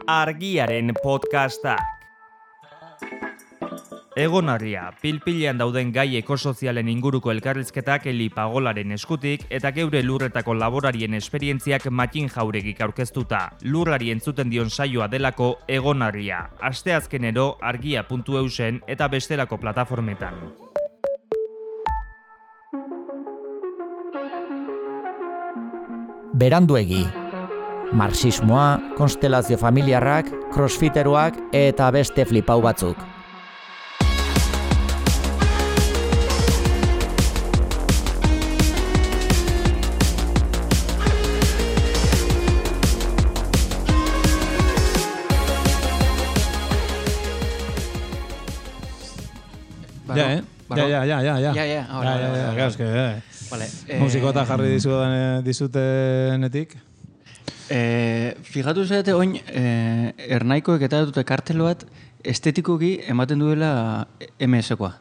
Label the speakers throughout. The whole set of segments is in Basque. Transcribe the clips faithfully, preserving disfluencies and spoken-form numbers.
Speaker 1: Argiaren podcastak. Egonarria, pilpilean dauden gai ekosozialen inguruko elkarrizketak Eli Pagolaren eskutik eta geure lurretako laborarien esperientziak Matin Jauregik aurkeztuta. Lurrari entzuten dion saioa delako Egonarria. Asteazkenero argia puntu eusen eta bestelako plataformetan.
Speaker 2: Beranduegi. Marxismoa, konstelazio familiarrak, crossfiteruak eta beste flipau batzuk.
Speaker 3: Ja, eh? Ja, ja, ja, ja, ja.
Speaker 4: Ja, ja, ahora.
Speaker 3: Ja, ja, ja, claro, es que, eh.
Speaker 4: Vale.
Speaker 3: Musikota jarri dizudan dizutenetik.
Speaker 4: Eh, fijatu zaite oin eh, ernaikoek eta dute kartel bat estetikoki ematen duela M S-koa.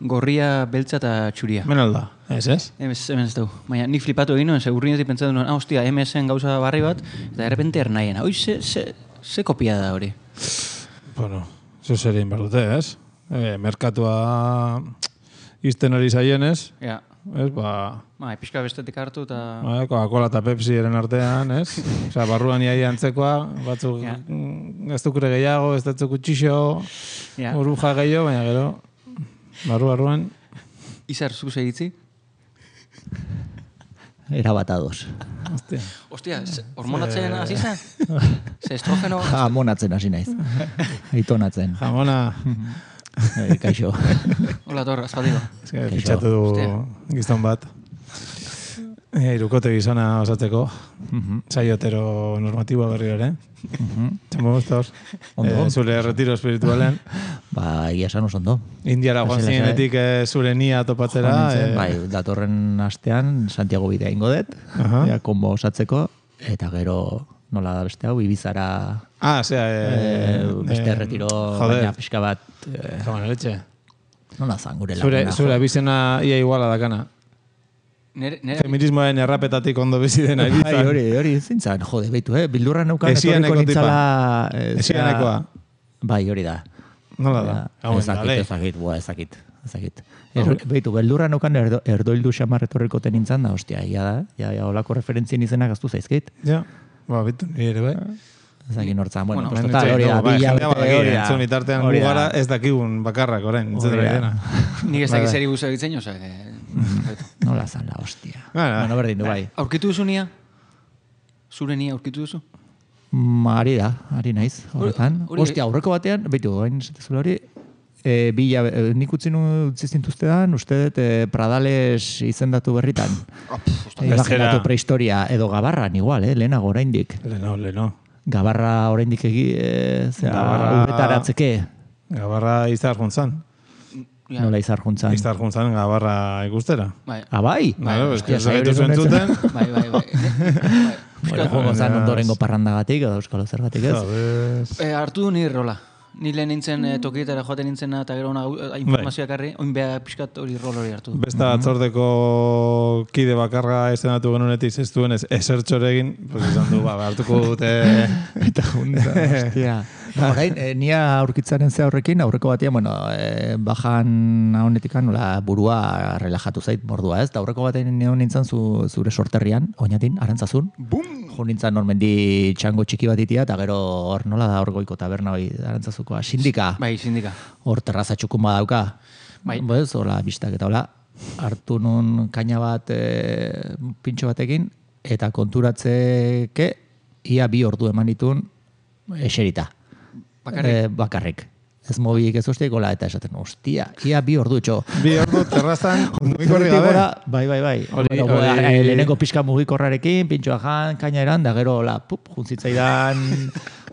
Speaker 4: Gorria, beltza eta txuria.
Speaker 3: Menalda, ez ez?
Speaker 4: Hemen ez dugu. Baina nik flipatu egin nuen, segurrinetik pentsatu nuen, ah, hostia, M S-en gauza barri bat, eta de repente ernaiena. Oi, ze, ze, ze kopia da hori?
Speaker 3: Bueno, zo zer egin behar dute, ez? Eh, merkatua izten hori zaienez,
Speaker 4: Ja.
Speaker 3: ez, ba...
Speaker 4: Ba, pixka bestetik hartu eta...
Speaker 3: Ba, Coca-Cola eta Pepsi eren artean, ez? Osea, barruan iaia antzekoa, batzuk
Speaker 4: Ja.
Speaker 3: mm, ez dukure gehiago, ez dut kutxixo,
Speaker 4: Ja.
Speaker 3: oruja gehiago, baina gero, barru-barruan...
Speaker 4: Izar, zu segitzi?
Speaker 2: Erabat ados.
Speaker 3: Hostia.
Speaker 4: Ostia, ze- hormonatzen hasi zen? Ze estrogeno...
Speaker 2: Jamonatzen hasi naiz. Aitonatzen.
Speaker 3: Jamona,
Speaker 2: Eh, kaixo.
Speaker 4: Hola, Tor, azpatiko.
Speaker 3: ez que fitxatu du
Speaker 4: Hostia.
Speaker 3: gizton bat. E, irukote gizona osatzeko. Saiotero normatiboa berri ere. Txamo guztos.
Speaker 2: Ondo.
Speaker 3: Eh, zure retiro espiritualen.
Speaker 2: Ba, egia esan oso ondo.
Speaker 3: Indiara joan
Speaker 2: Lasai, lasai.
Speaker 3: zinenetik eh, zure nia topatzera.
Speaker 2: Joan nintzen,
Speaker 3: eh,
Speaker 2: bai, datorren astean Santiago bidea ingo dut,
Speaker 3: Aha.
Speaker 2: ja, kombo osatzeko, eta gero nola da beste hau, Ibizara
Speaker 3: Ah, osea...
Speaker 2: eh,
Speaker 3: Eh,
Speaker 2: beste
Speaker 3: eh,
Speaker 2: retiro,
Speaker 3: joder.
Speaker 2: baina pixka bat, eh,
Speaker 3: Jamana letxe.
Speaker 2: nola zan gure
Speaker 3: Zure,
Speaker 2: laguna.
Speaker 3: zure bizena ia iguala dakana.
Speaker 4: Nere, nere,
Speaker 3: Feminismoen errapetatik ondo bizi dena
Speaker 2: Bai,
Speaker 3: Ibizan.
Speaker 2: hori, hori, zintzan, jode, beitu, eh? Bildurra neukan
Speaker 3: Esianeko
Speaker 2: etorriko
Speaker 3: tipa.
Speaker 2: nintzala... eh,
Speaker 3: Esianekoa.
Speaker 2: zera- Bai, hori da.
Speaker 3: Nola da? Hau,
Speaker 2: Ezakit,
Speaker 3: dale.
Speaker 2: ezakit, bua, ezakit, ezakit. Er, beitu, beldurra neukan erdo, erdoildu xamar etorriko tenintzan da, ostia, ia da, ja, ja, olako referentzien izenak aztu zaizkit.
Speaker 3: Ja, ba, bitu, nire ere, bai.
Speaker 2: Ezakit nortzan, bueno,
Speaker 4: Bueno,
Speaker 2: pues total, hori da,
Speaker 3: bai,
Speaker 2: bila
Speaker 3: jendea badaki,
Speaker 2: hori da.
Speaker 3: entzun itartean
Speaker 2: Hori da.
Speaker 3: gugara ez dakigun bakarrak orain, entzuten
Speaker 2: Hori
Speaker 3: ari
Speaker 2: da.
Speaker 3: dena.
Speaker 4: nik ez dakit zeri guzti egitzen, oza, que...
Speaker 2: Nola zan la hostia.
Speaker 3: Bueno,
Speaker 2: Bueno, berdin du, bai.
Speaker 4: Aurkitu duzu nia? Zure nia aurkitu duzu?
Speaker 2: Mm, Ari da, ari naiz, horretan.
Speaker 4: hori-
Speaker 2: Ostia, aurreko batean, beitu, hain zatezula hori, e, bila, e, nik utzi nu utzi zintuztedan, uste dut e, Pradales izendatu berritan. E, imaginatu prehistoria, edo Gabarran igual, eh, lehenago oraindik.
Speaker 3: Leno, leno.
Speaker 2: Gabarra oraindik egi, e, zera,
Speaker 3: Gabarra-
Speaker 2: uretaratzeke,
Speaker 3: Gabarra izar juntzan.
Speaker 4: Ja.
Speaker 2: nola izar juntzan.
Speaker 3: Izar juntzan gabarra ikustera.
Speaker 4: Bai,
Speaker 2: Ah, bai?
Speaker 3: Claro, es que
Speaker 2: Hostia,
Speaker 3: ez zaitu
Speaker 2: saio
Speaker 3: entzuten.
Speaker 4: bai, bai, bai. bai.
Speaker 2: Bueno, joango zan ondorengo parrandagatik, edo euskalo zergatik ez.
Speaker 3: Sabes.
Speaker 4: E, hartu du nire rola. Ni lehen nintzen e, tokietara joaten nintzena eta gero ona
Speaker 3: Bai.
Speaker 4: informazioak harri, oin beha pixkat hori rol hori hartu.
Speaker 3: Beste batzordeko kide bakarra estenatu genunetik ez duenez esertxore egin, pues izan du, ba, hartuko dute...
Speaker 2: Eta junta, hostia. Orain, e, nia aurkitzaren ze horrekin, aurreko batean, bueno, e, bajan honetik nola burua relajatu zait mordua, ez? Da aurreko batean nio nintzen zu, zure sorterrian, oinatin, arantzazun. Bum! Jo nintzen normendi txango txiki bat itia, eta gero hor nola da hor goiko taberna hori arantzazukoa, sindika.
Speaker 4: Bai, sindika.
Speaker 2: Hor terraza txukun badauka.
Speaker 4: Bai.
Speaker 2: Bez, hola, bistak eta hola. Hartu nun kaina bat e, pintxo batekin, eta konturatzeke ia bi ordu eman ditun eserita.
Speaker 4: Bakarrik?
Speaker 2: E, bakarrik. Ez mobilik ez hostiak, hola, eta esaten, ostia, ia bi ordu txo.
Speaker 3: Bi ordu terrazan mugikorri gabe.
Speaker 2: Gora, bai, bai, bai.
Speaker 3: Hori-
Speaker 2: Bueno,
Speaker 3: hori-
Speaker 2: eh, lehenengo pixka mugikorrarekin, pintxoa jan, kaina eran, da gero, hola, pup, juntzitzaidan,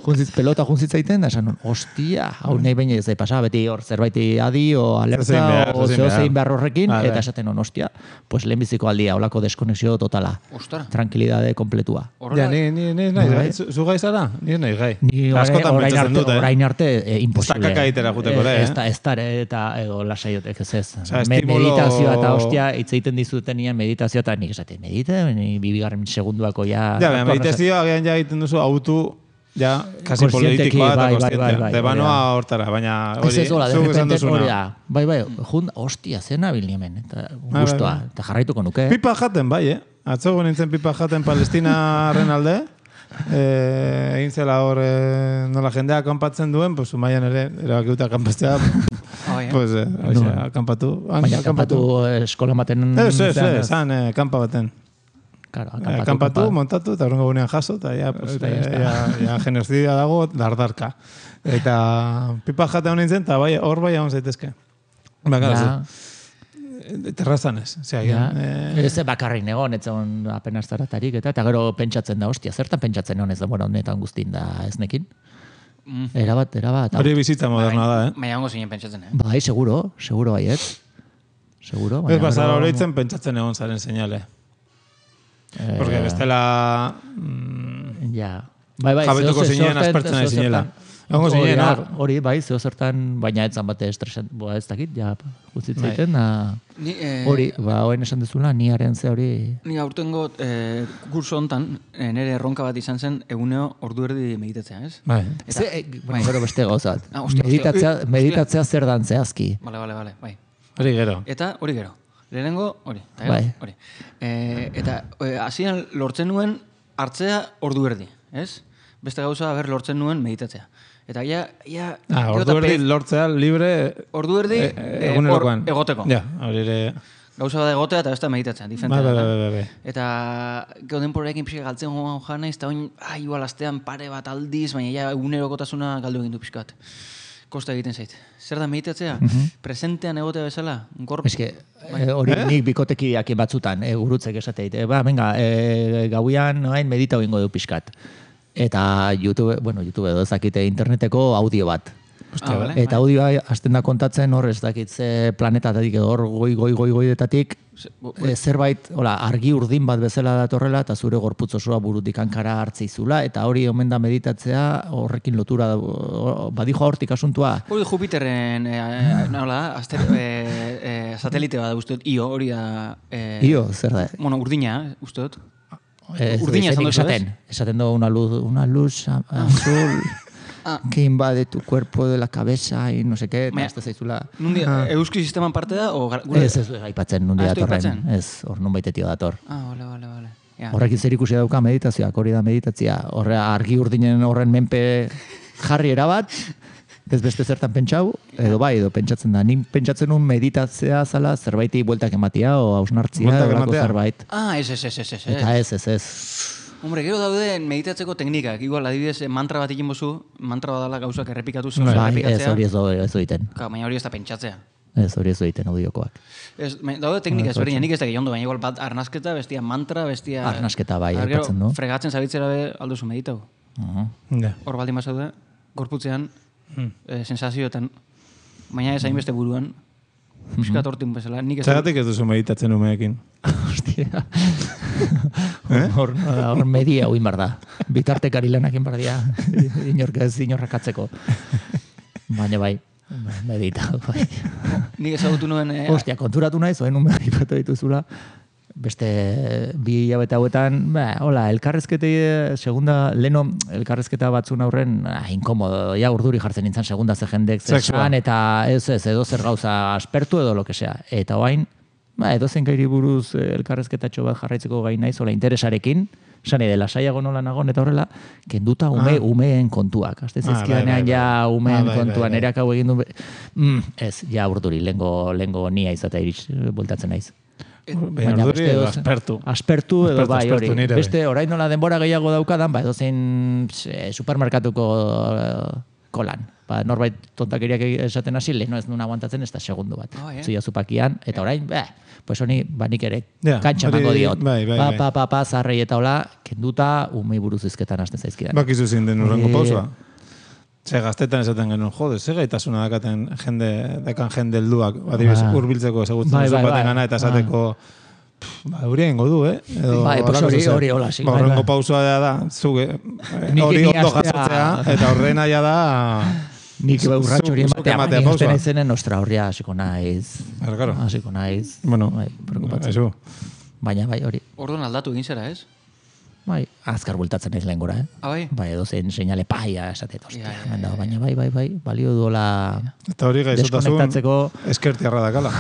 Speaker 2: juntzitz, pelota juntzitzaiten, da esan, nun, ostia, hau nahi baina ez da pasa, beti hor zerbaiti adi, o
Speaker 3: Zein
Speaker 2: alerta,
Speaker 3: behar,
Speaker 2: o
Speaker 3: zein
Speaker 2: zeo
Speaker 3: behar.
Speaker 2: zein behar horrekin,
Speaker 3: Vale.
Speaker 2: eta esaten non, ostia, pues lehenbiziko aldia, holako deskonexio totala.
Speaker 4: Ostara.
Speaker 2: Tranquilidade kompletua.
Speaker 3: Ja, ni, ni, ni, nahi,
Speaker 2: Bai.
Speaker 3: gai, zu zu gai zara? Ni nahi gai.
Speaker 2: Ni orain,
Speaker 3: Askotan
Speaker 2: orain
Speaker 3: pentsatzen
Speaker 2: arte,
Speaker 3: dute.
Speaker 2: orain arte e, imposible.
Speaker 3: kaka egitera juteko ere,
Speaker 2: Eh,
Speaker 3: eh?
Speaker 2: Ez da, ez da, eta edo lasaiotek ez ez.
Speaker 3: Osea,
Speaker 2: Me-
Speaker 3: estimulo-
Speaker 2: Meditazioa eta hostia, hitz egiten dizutenean meditazioa eta nik esaten, medita, ni bibigarren segunduako ja...
Speaker 3: Ja, baina
Speaker 2: hartu
Speaker 3: meditazioa agian ja egiten duzu autu ja, kasi
Speaker 2: Kontzienteki,
Speaker 3: politikoa eta
Speaker 2: bai, bai,
Speaker 3: kontzientea.
Speaker 2: bai, bai,
Speaker 3: Debanoa
Speaker 2: hori
Speaker 3: hortara, baina
Speaker 2: Ez
Speaker 3: hori,
Speaker 2: ez, hola, de
Speaker 3: zuk esan
Speaker 2: repente hori
Speaker 3: duzuna.
Speaker 2: da. Bai, bai, jun, hostia, zen nabil hemen. Eta guztua,
Speaker 3: bai.
Speaker 2: eta jarraituko nuke.
Speaker 3: Pipa jaten, bai, eh? Atzogo nintzen pipa jaten Palestinaren alde, eh, egin zela hor eh, nola jendea akanpatzen duen, pues umaian ere, erabakiuta akanpatzea, pues, eh, oixe, akampatu.
Speaker 2: Baina akanpatu eskola maten...
Speaker 3: Ez, ez, ez, zan, eh, kanpa baten.
Speaker 2: Claro,
Speaker 3: Akampatu,
Speaker 2: akanpatu,
Speaker 3: montatu, eta horrengo gunean jaso, eta ja, pues,
Speaker 2: Eta ya
Speaker 3: eh, ja, ja genozidia dago, dardarka. Eta pipa jate honen zen, eta bai, hor bai hon zaitezke. Bakara,
Speaker 2: Ja.
Speaker 3: terrazan ez. Osea,
Speaker 2: Ja.
Speaker 3: eh,
Speaker 2: Ez bakarrik negon, ez on apenas zaratarik, eta, eta gero pentsatzen da, hostia, zertan pentsatzen honez da, bueno, honetan guztin da ez nekin.
Speaker 4: Mm.
Speaker 2: Erabat, erabat.
Speaker 3: hori bizitza moderna da, eh?
Speaker 4: Baina hongo zinen pentsatzen, eh?
Speaker 2: Bai, seguro, seguro baiet. Seguro,
Speaker 3: Ez
Speaker 2: baina
Speaker 3: bazara
Speaker 2: gero-
Speaker 3: oroitzen pentsatzen egon zaren seinale.
Speaker 2: Eh,
Speaker 3: Porque bestela... Mm,
Speaker 2: Ja. Bai, bai,
Speaker 3: jabetuko
Speaker 2: zeo-
Speaker 3: zinen
Speaker 2: zeo-
Speaker 3: aspertzen
Speaker 2: zeo-
Speaker 3: ari zinela.
Speaker 2: zertan-
Speaker 3: Egongo
Speaker 2: Hori
Speaker 3: zinen
Speaker 2: da,
Speaker 3: hor.
Speaker 2: Hori, bai, zeo zertan, baina etzan bate estresan, boa ez dakit, ja, guztit
Speaker 3: Bai.
Speaker 2: zaiten, da...
Speaker 4: Ni, eh,
Speaker 2: Hori, ba, hoen esan dezula, ni haren ze hori...
Speaker 4: Ni aurtengo eh, kurso hontan eh, nire erronka bat izan zen eguneo ordu erdi meditatzea, ez?
Speaker 3: Bai.
Speaker 2: Ze, eh, bueno, gero beste gauzat.
Speaker 4: Ah, ostia, ostia.
Speaker 2: meditatzea,
Speaker 4: Eh,
Speaker 2: meditatzea zer dan zehazki.
Speaker 4: Bale, bale, bale, bai.
Speaker 3: Hori gero.
Speaker 4: Eta hori gero. Lehenengo hori. Eta gero,
Speaker 2: Bai.
Speaker 4: hori. E, eta e, hasieran lortzen nuen hartzea ordu erdi, ez? Beste gauza ber lortzen nuen meditatzea. Eta ja, ja...
Speaker 3: Ah,
Speaker 4: gero
Speaker 3: ordu
Speaker 4: eta
Speaker 3: erdi
Speaker 4: perez-
Speaker 3: lortzea libre...
Speaker 4: Ordu erdi
Speaker 3: eh,
Speaker 4: eh,
Speaker 3: egunerokoan.
Speaker 4: hor egoteko.
Speaker 3: Ja, hori ere...
Speaker 4: Gauza bat egotea eta beste meditatzea, diferente
Speaker 3: Bai, bai,
Speaker 4: da.
Speaker 3: bai, bai, bai.
Speaker 4: Eta gero denporarekin pixka galtzen joan joan naiz, eta oin, ah, igual astean pare bat aldiz, baina ja egunerokotasuna galdu egin du pixkat. Kosta egiten zait. Zer da meditatzea? Presentean egotea bezala? Gorp...
Speaker 2: Eske, eh, hori nik bikotekiak batzutan, eh, gurutzek esateit. Eh, ba, venga, eh, gauian noain medita egingo du pixkat. Eta YouTube, bueno, YouTube edo ezakite interneteko audio bat.
Speaker 4: Ah, vale,
Speaker 2: Eta audioa hasten da kontatzen hor ez dakit ze planetatatik edo hor goi goi goi goidetatik e, zerbait, hola, argi urdin bat bezala datorrela eta zure gorputz osoa burutik hankara hartzeizula eta hori omen da meditatzea horrekin lotura da, o- badijoa hortik asuntua.
Speaker 4: Hori Jupiterren, eh, nola, aster, eh, eh, satelite bat uste dut, Io, hori da... Eh,
Speaker 2: Io, zer da?
Speaker 4: Bueno, urdina, uste dut.
Speaker 2: Ez,
Speaker 4: Urdina esan
Speaker 2: ezenik
Speaker 4: duzu,
Speaker 2: esaten, esaten du una luz, una luz a- azul
Speaker 4: Ah.
Speaker 2: que invade tu cuerpo de la cabeza y no sé qué, eta
Speaker 4: Baina-
Speaker 2: ez da zaizula.
Speaker 4: Nundi, euski sisteman parte da, o... gar- gure-
Speaker 2: Ez, ez, aipatzen nundi
Speaker 4: Ah, ez du
Speaker 2: datorren.
Speaker 4: aipatzen?
Speaker 2: Ez, hor nun baitetio dator.
Speaker 4: Ah, bale, bale, bale. Ja.
Speaker 2: Horrekin zer ikusi dauka meditazioak, hori da meditatzia. Horre argi urdinen horren menpe jarri erabat, ez beste zertan pentsau, edo bai, edo pentsatzen da. Nik pentsatzen nun meditatzea zala zerbaiti bueltak ematia, o hausnartzia,
Speaker 3: Bueltak
Speaker 2: edo lako
Speaker 3: ematea?
Speaker 2: zerbait.
Speaker 4: Ah, ez, ez, ez, ez, ez.
Speaker 2: Eta ez, ez, ez.
Speaker 4: Hombre, gero daude meditatzeko teknikak. Igual, adibidez, eh, mantra bat egin bozu, mantra bat dala gauzak errepikatu zuen
Speaker 2: Bai, ez
Speaker 4: errepikatzea.
Speaker 2: hori ez, ez egiten.
Speaker 4: Ka, baina hori ez da pentsatzea.
Speaker 2: Ez hori ez egiten audiokoak.
Speaker 4: Ez, me- daude teknika ezberdina, nik ez da ondo, baina igual bat arnasketa, bestia mantra, bestia...
Speaker 2: Arnasketa bai,
Speaker 4: Har, gero,
Speaker 2: aipatzen du.
Speaker 4: fregatzen zabitzera be alduzu meditau.
Speaker 2: Uh-huh.
Speaker 3: Ja.
Speaker 4: Hor baldin bazaude, gorputzean,
Speaker 3: Hmm.
Speaker 4: eh, sensazioetan, baina ez hainbeste buruan, piskat hortin bezala, nik ez...
Speaker 3: Zagatik ez duzu meditatzen umeekin.
Speaker 2: Hostia. Hor, hor media huin bar da. Bitartekari lanak egin bar dira. Inork ez inorrakatzeko. Baina bai, medita. Bai.
Speaker 4: Nik ezagutu nuen... Eh,
Speaker 2: Hostia, konturatu naiz, oen ume aipatu dituzula. Beste bi hilabete hauetan, ba, hola, elkarrezkete, segunda, leno, elkarrezketa batzun aurren, ah, inkomodo, ja urduri jartzen nintzen segunda ze jendek
Speaker 3: Sexua.
Speaker 2: zesan, eta ez, ez, edo zer gauza aspertu edo lo que sea. Eta oain, ba, edo zen gairi buruz eh, elkarrezketatxo bat jarraitzeko gai naiz, hola, interesarekin, esan de lasaiago nola nagon eta horrela, kenduta ume,
Speaker 3: Ah.
Speaker 2: umeen kontuak. Azte
Speaker 3: Ah, bai,
Speaker 2: zizkidanean
Speaker 3: bai,
Speaker 2: ja
Speaker 3: bai.
Speaker 2: umeen
Speaker 3: Ah, bai, bai,
Speaker 2: kontuan,
Speaker 3: bai.
Speaker 2: erak hau egin du, be- mm, ez, ja urduri, lengo, lengo nia izatea iritz, bultatzen naiz.
Speaker 3: Baina urduri edo
Speaker 2: edoze-
Speaker 3: aspertu.
Speaker 2: Aspertu edo
Speaker 3: Aspertu,
Speaker 2: bai hori.
Speaker 3: aspertu nire,
Speaker 2: Beste orain nola denbora gehiago daukadan, ba edozein eh, supermerkatuko eh, kolan. Ba, norbait tontakeriak esaten hasi, leheno ez nuen aguantatzen ez da segundo bat.
Speaker 4: Ah, eh?
Speaker 2: Zuia zupakian, eta orain, bah, pues honi, ba nik ere
Speaker 3: Ja,
Speaker 2: kantxa
Speaker 3: hori-
Speaker 2: emango diot.
Speaker 3: bai, bai,
Speaker 2: pa,
Speaker 3: bai.
Speaker 2: pa, pa, pa, zarrei eta hola, kenduta, umei buruz izketan hasten zaizkidan.
Speaker 3: Bakizu zin den urrengo
Speaker 2: Eh,
Speaker 3: pausa. Ze gaztetan esaten genuen, jode, ze gaitasuna dakaten jende, dakan jende helduak, adibidez,
Speaker 2: Ah.
Speaker 3: hurbiltzeko ezagutzen
Speaker 2: Bai,
Speaker 3: duzu
Speaker 2: bai,
Speaker 3: baten
Speaker 2: bai.
Speaker 3: gana eta esateko, pff, ba, hori egingo du, eh? Edo,
Speaker 2: Bai, pues
Speaker 3: halako
Speaker 2: hori-
Speaker 3: zezer.
Speaker 2: hori hola, sí,
Speaker 3: Ba,
Speaker 2: bai,
Speaker 3: horrengo
Speaker 2: bai.
Speaker 3: pausua da, da zuge, eh,
Speaker 2: Nik-
Speaker 3: hori
Speaker 2: ni
Speaker 3: ondo
Speaker 2: hastea-
Speaker 3: jasotzea, eta horrena ja da...
Speaker 2: Nik
Speaker 3: zu-
Speaker 2: urratxo hori
Speaker 3: zuk
Speaker 2: ematea,
Speaker 3: ematea
Speaker 2: baina
Speaker 3: pausoa.
Speaker 2: izten naizenen, ostra, horria hasiko naiz.
Speaker 3: Claro, claro.
Speaker 2: Hasiko naiz.
Speaker 3: Bueno,
Speaker 2: bai, preokupatzen.
Speaker 3: eso.
Speaker 2: Baina bai hori.
Speaker 4: Orduan aldatu egin zera, ez?
Speaker 2: Bai, azkar bultatzen naiz lehen gora, eh?
Speaker 4: Ah, bai?
Speaker 2: Bai, edo zein seinale paia esatet, ostia.
Speaker 4: Ja, ja, ja, ja.
Speaker 2: Baina bai, bai, bai, balio duela
Speaker 3: Eta hori gaizotasun
Speaker 2: deskonektatzeko...
Speaker 3: eskertiarra dakala.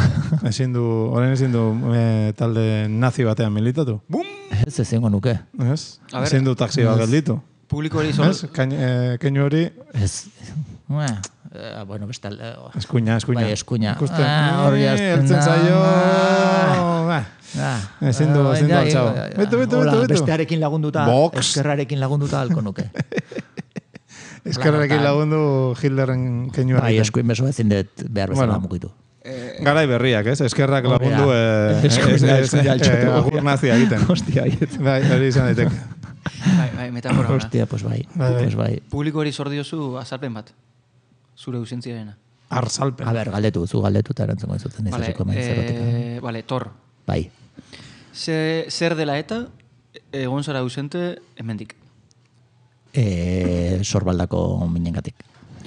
Speaker 3: Ezin du, orain ezin du e, talde nazi batean militatu. Bum!
Speaker 2: Ez ezingo nuke.
Speaker 3: Ez? Ezin du taxi bat gelditu.
Speaker 4: Publiko hori sol...
Speaker 3: Ez? Kain, e, keinu hori...
Speaker 2: Ez... Ua, eh, bueno, beste... Eh,
Speaker 3: eskuina, eskuina.
Speaker 2: Bai, eskuina.
Speaker 3: Ikusten.
Speaker 2: Ah, hori azten
Speaker 3: Eltzen zaio...
Speaker 2: Ah.
Speaker 3: Ah. Ezin du, ezin du altxau. Betu, betu, betu, betu.
Speaker 2: Bestearekin lagunduta,
Speaker 3: Box.
Speaker 2: eskerrarekin lagunduta alko nuke.
Speaker 3: Eskerrarekin lagundu Hitlerren keinu
Speaker 2: Bai, eskuin beso ezin dut behar bezala
Speaker 3: Bueno.
Speaker 2: mugitu.
Speaker 3: Garai berriak, ez? Eskerrak lagundu eh,
Speaker 2: Eskuina, eskuina altxatu.
Speaker 3: eh, agur nazia egiten.
Speaker 2: Hostia, aiet.
Speaker 3: Bai, hori izan daiteke.
Speaker 4: Bai, bai, metafora.
Speaker 2: Hostia, pues bai.
Speaker 3: Bai, bai.
Speaker 2: Pues bai.
Speaker 4: Publiko hori zor diozu azalpen bat. Zure ausentziarena.
Speaker 3: Arsalpen.
Speaker 2: A ber, galdetu, zu galdetu eta erantzungo izuten
Speaker 4: Vale,
Speaker 2: dizuziko menzerotik.
Speaker 4: eh, vale, Tor.
Speaker 2: Bai.
Speaker 4: Ze, zer dela eta egon zara ausente hemendik.
Speaker 2: E, sorbaldako minengatik.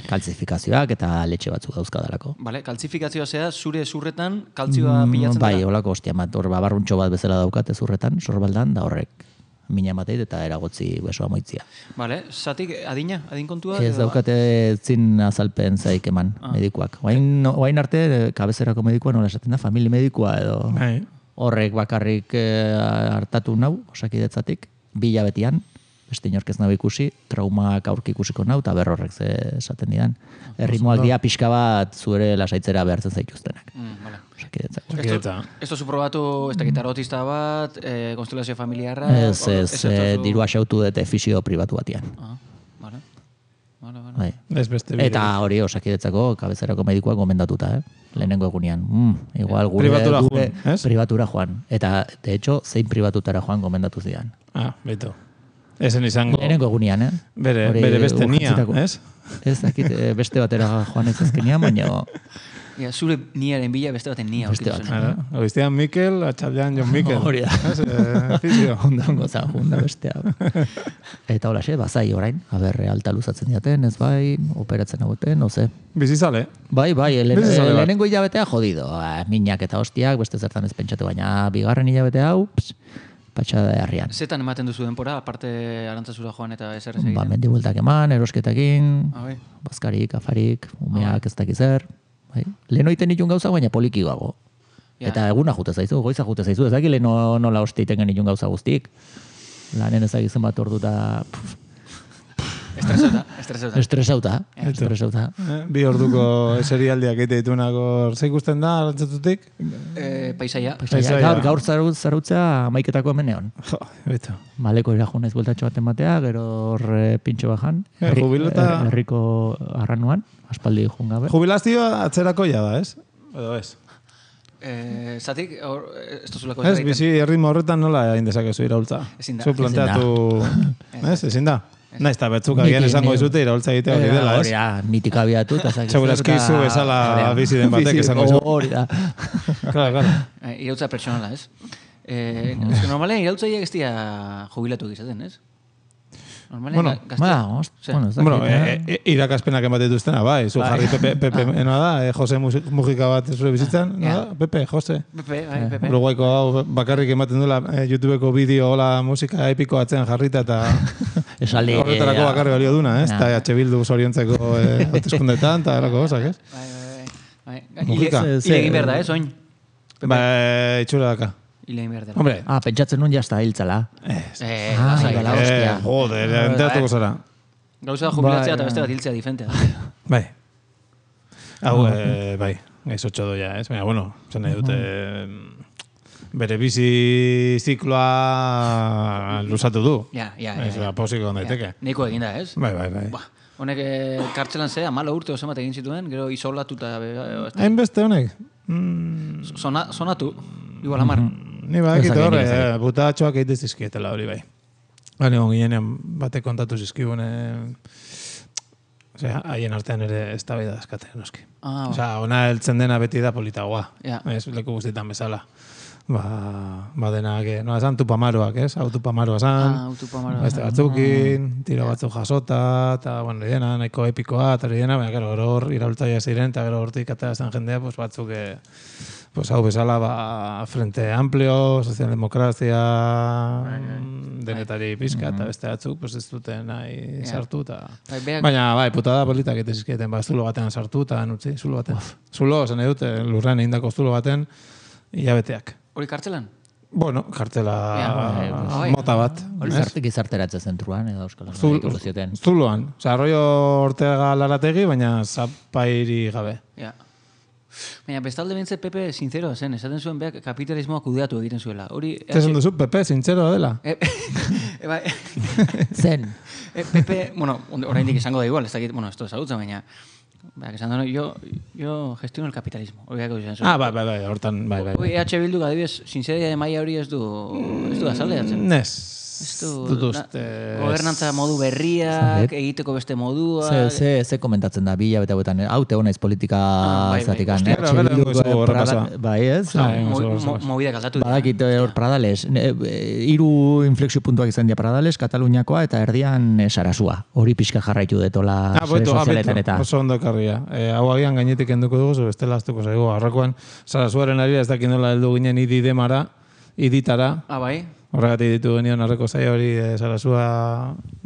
Speaker 2: Kalzifikazioak eta letxe batzuk dauzkadalako.
Speaker 4: Vale, kalzifikazioa zea zure zurretan kaltzioa pilatzen
Speaker 2: Bai,
Speaker 4: dela.
Speaker 2: holako ostia bat, hor babarruntxo bat bezala daukate zurretan, sorbaldan, da horrek mina mateit eta eragotzi besoa moitzia.
Speaker 4: Vale, zatik adina, adin kontua?
Speaker 2: Ez
Speaker 4: edo-
Speaker 2: daukate zin azalpen zaik eman
Speaker 4: Ah.
Speaker 2: medikuak. Oain, oain arte, kabezerako medikua nola esaten da, famili medikua edo
Speaker 3: Bai.
Speaker 2: horrek bakarrik eh, hartatu nau, osakidetzatik, bi hilabetian, beste inork ez nau ikusi, traumak aurki ikusiko nau, eta berrorrek ze esaten didan. Erritmoak dia pixka bat zuere lasaitzera behartzen zaituztenak.
Speaker 4: Mm, vale.
Speaker 2: Osakidetzako.
Speaker 3: Eta,
Speaker 4: Ez tozu probatu, ez dakit arotista bat, eh, konstelazio familiarra...
Speaker 2: Ez,
Speaker 4: o-
Speaker 2: ez,
Speaker 4: tozu-
Speaker 2: eh, dirua xautu dute fisio pribatu batian.
Speaker 4: Ah, vale. Vale, vale.
Speaker 2: Bai.
Speaker 3: ez beste bide.
Speaker 2: Eta hori osakidetzako kabezerako medikuak gomendatuta, eh? Lehenengo egunean. Mm, igual gure,
Speaker 3: Pribatura
Speaker 2: gure
Speaker 3: joan, ez?
Speaker 2: pribatura joan. Eta, de hecho, zein pribatutara joan gomendatu zidan.
Speaker 3: Ah, beto. Ezen izango.
Speaker 2: Lehenengo egunean, eh?
Speaker 3: Bere,
Speaker 2: Hori
Speaker 3: bere beste nia,
Speaker 2: urgentzitako.
Speaker 3: ez?
Speaker 2: Ez dakit eh, beste batera joan ez azkenean, baina
Speaker 4: Ja, zure niaren bila beste baten nia
Speaker 2: Beste
Speaker 4: aurkitu
Speaker 2: bat.
Speaker 4: zen.
Speaker 3: Ara, Goiztean Mikel, atxaldean Jon Mikel.
Speaker 2: Hori da.
Speaker 3: Ez, eh, fisio.
Speaker 2: onda ongo za, onda bestea. Eta hola xe, bazai orain, aber alta luzatzen diaten, ez bai, operatzen aguten, oze.
Speaker 3: Bizizale.
Speaker 2: Bai, bai, lehen,
Speaker 3: Beste zale bat.
Speaker 2: lehenengo hilabetea jodido, ah, minak eta hostiak, beste zertan ez pentsatu, baina bigarren hilabete hau, ps, patxada herrian.
Speaker 4: Zetan ematen duzu denpora, aparte arantzazura joan eta ezer ez egiten?
Speaker 2: Ba, mendi bueltak eman, erosketakin,
Speaker 4: Ah, bai.
Speaker 2: bazkarik, afarik, umeak ez dakiz zer. Bai. Lehen oiten ditun gauza, baina poliki gago.
Speaker 4: Ja.
Speaker 2: Eta eguna jute zaizu, goiza jute zaizu, ez dakit lehen no, nola osteiten genitun gauza guztik. Lanen ezagizen bat ordu eta pff,
Speaker 4: Estresauta, estresauta.
Speaker 2: estresauta, estresauta.
Speaker 3: Eh, Bi orduko serialdiak egite ditunak ze ikusten da, arantzatutik?
Speaker 4: Eh, paisaia.
Speaker 3: Paisaia.
Speaker 2: Gaur, gaur zarut, zarutza amaiketako hemeneon.
Speaker 3: Jo, beto.
Speaker 2: Maleko irajun naiz bueltatxo baten batea, gero hor eh, pintxo bajan.
Speaker 3: Eh, jubilata-
Speaker 2: her- Herriko arranuan, aspaldi jun gabe.
Speaker 3: Jubilazioa atzerako ja da, ez? Edo ez?
Speaker 4: Eh, zatik, hor, ez tozulako
Speaker 3: Ez, bizi erritmo horretan nola egin dezakezu iraultza.
Speaker 4: Ezin da.
Speaker 3: Zu planteatu... Ez, ezin da? Naiz, eta betzuk
Speaker 2: Niti-
Speaker 3: agian esango
Speaker 2: ni-
Speaker 3: izute iraultza egitea hori dela,
Speaker 2: Hori
Speaker 3: ez?
Speaker 2: da, nitik abiatu, eta zakiz.
Speaker 3: Segurazki zu bezala bizi den batek esango izu.
Speaker 2: Hori da.
Speaker 3: Claro, claro.
Speaker 4: Eh, irautza pertsonala, ez? Eh, ez que normalean irautzaileak ez dira jubilatu gizaten, ez? Normalean
Speaker 3: Bueno,
Speaker 4: ga- gazte...
Speaker 2: Ba, ost,
Speaker 4: Zer?
Speaker 2: bueno, ez dakit,
Speaker 3: Bueno,
Speaker 2: eh?
Speaker 3: e, e, irakaspenak ematen dituztena, bai. Zu jarri Pepe, Pepe ena da, eh, Jose Musi- Mujika bat zure bizitzan,
Speaker 4: Ja.
Speaker 3: no da? Pepe, Jose.
Speaker 4: Pepe, bai, Pepe.
Speaker 3: Uruguaiko hau bakarrik ematen duela eh, YouTubeko bideo hola musika epiko atzean jarrita eta
Speaker 2: Esaldi,
Speaker 3: horretarako
Speaker 2: eh,
Speaker 3: bakarrik balio duna, ez?
Speaker 2: Ja.
Speaker 3: Eta H Bildu zoriontzeko eh, hauteskundetan eta horako gauzak, ez?
Speaker 4: Bai, bai, bai.
Speaker 3: Mujika.
Speaker 4: Hile hile egin behar da, ez, oin?
Speaker 3: Ba, itxura daka.
Speaker 4: Hile egin behar dela.
Speaker 3: Hombre,
Speaker 2: Ah, pentsatzen nun jazta hiltzala.
Speaker 4: Eh,
Speaker 2: Ah,
Speaker 4: lasai.
Speaker 2: igala,
Speaker 3: eh,
Speaker 2: hostia.
Speaker 3: joder, enteratuko zara.
Speaker 4: Gauza jubilatzea
Speaker 2: Bai,
Speaker 4: eta beste
Speaker 2: bai.
Speaker 4: bat hiltzea diferentea.
Speaker 3: Bai. Hau, eh, bai, gaizotxo doia, ez? Baina, bueno, zen nahi dute... Bere bizi zikloa luzatu du.
Speaker 4: Ja, ja, ja.
Speaker 3: Ez da, posiko daiteke.
Speaker 4: Neiko eginda, ez?
Speaker 3: Bai, bai, bai.
Speaker 4: Ba, honek eh, kartzelan zea, malo urte oso bat egin zituen, gero isolatuta... eh,
Speaker 3: Hainbeste honek? Mm,
Speaker 4: Sona, sonatu, igual hamar.
Speaker 3: ni badakit
Speaker 2: Ez dakit,
Speaker 3: horre,
Speaker 2: ez dakit.
Speaker 3: eh, butatxoak egite zizkietela hori bai. Gani hon ginenean bate kontatu zizkigun, eh, osea, haien artean ere ez da bida dazkate, noski.
Speaker 4: Ah,
Speaker 3: Osea, ona heltzen dena beti da politagoa.
Speaker 4: Ja.
Speaker 3: Ez leku guztietan bezala. ba, ba denak, no, esan tupamaroak, ez? Hau tupamaroa esan,
Speaker 4: Ah, tupamaroa.
Speaker 3: beste batzukin, tiro batzuk jasota, eta, bueno, dena, nahiko epikoa, eta dena, baina, gero, gero hor, iraultzaia ziren, eta gero hortik atera zen jendea, pues, batzuk, eh, pues, hau bezala, ba, Frente Amplio, Sozialdemokrazia, denetari pizka, eta beste batzuk, pues, ez duten nahi sartu, eta... Baina, bai, putada politak eta izkieten, ba, zulo batean sartu, eta nutzi, zulo batean. Zulo, zen edute, lurrean egindako zulo baten, hilabeteak.
Speaker 4: Hori kartzelan?
Speaker 3: Bueno, kartela
Speaker 4: Ja,
Speaker 3: mota bat.
Speaker 2: Gizarte, gizarteratze zentruan edo Euskal Herriko zioten.
Speaker 3: Zuloan. Osa, Arroyo Ortega Larategi, baina zapairi gabe.
Speaker 4: Ja. Baina, bestalde bintze Pepe sincero zen, esaten zuen beak kapitalismoa kudeatu egiten zuela. Hori...
Speaker 3: Zesan duzu, Pepe, sincero dela?
Speaker 4: E, e, bai.
Speaker 2: Zen.
Speaker 4: E, Pepe, bueno, oraindik izango da igual, ez dakit, bueno, esto ezagutzen, baina... Ba, esan duen, yo, yo gestiono el capitalismo. Hori gako izan zuen.
Speaker 3: Ah, bai, bai, bai, hortan, bai, bai.
Speaker 4: Hori, E H Bilduk adibidez, sinceria de maia hori ez du, ez du azaldeatzen.
Speaker 3: Nes.
Speaker 4: Ez du,
Speaker 3: dut uste...
Speaker 4: gobernantza modu berriak, egiteko beste modua...
Speaker 2: Ze, ze, ze komentatzen da, bila bete hauetan, haute honaiz politika zatikan.
Speaker 3: Hostia, bera, bera, dugu horrepasa.
Speaker 2: Bai, ez?
Speaker 4: Mobidak aldatu dira.
Speaker 2: Badakit hor Pradales, hiru inflexio puntuak izan dira Pradales, Kataluniakoa eta erdian Sarasua. Hori pixka jarraitu detola sare sozialetan eta...
Speaker 3: Oso ondo karria. Hau agian gainetik enduko dugu, zo bestela aztuko zaigu. Arrakoan, Sarasuaren ari ez dakit nola heldu ginen idi demara, iditara.
Speaker 4: Ah, bai?
Speaker 3: Horregatik ditu genion arreko zaila hori e, Sarasua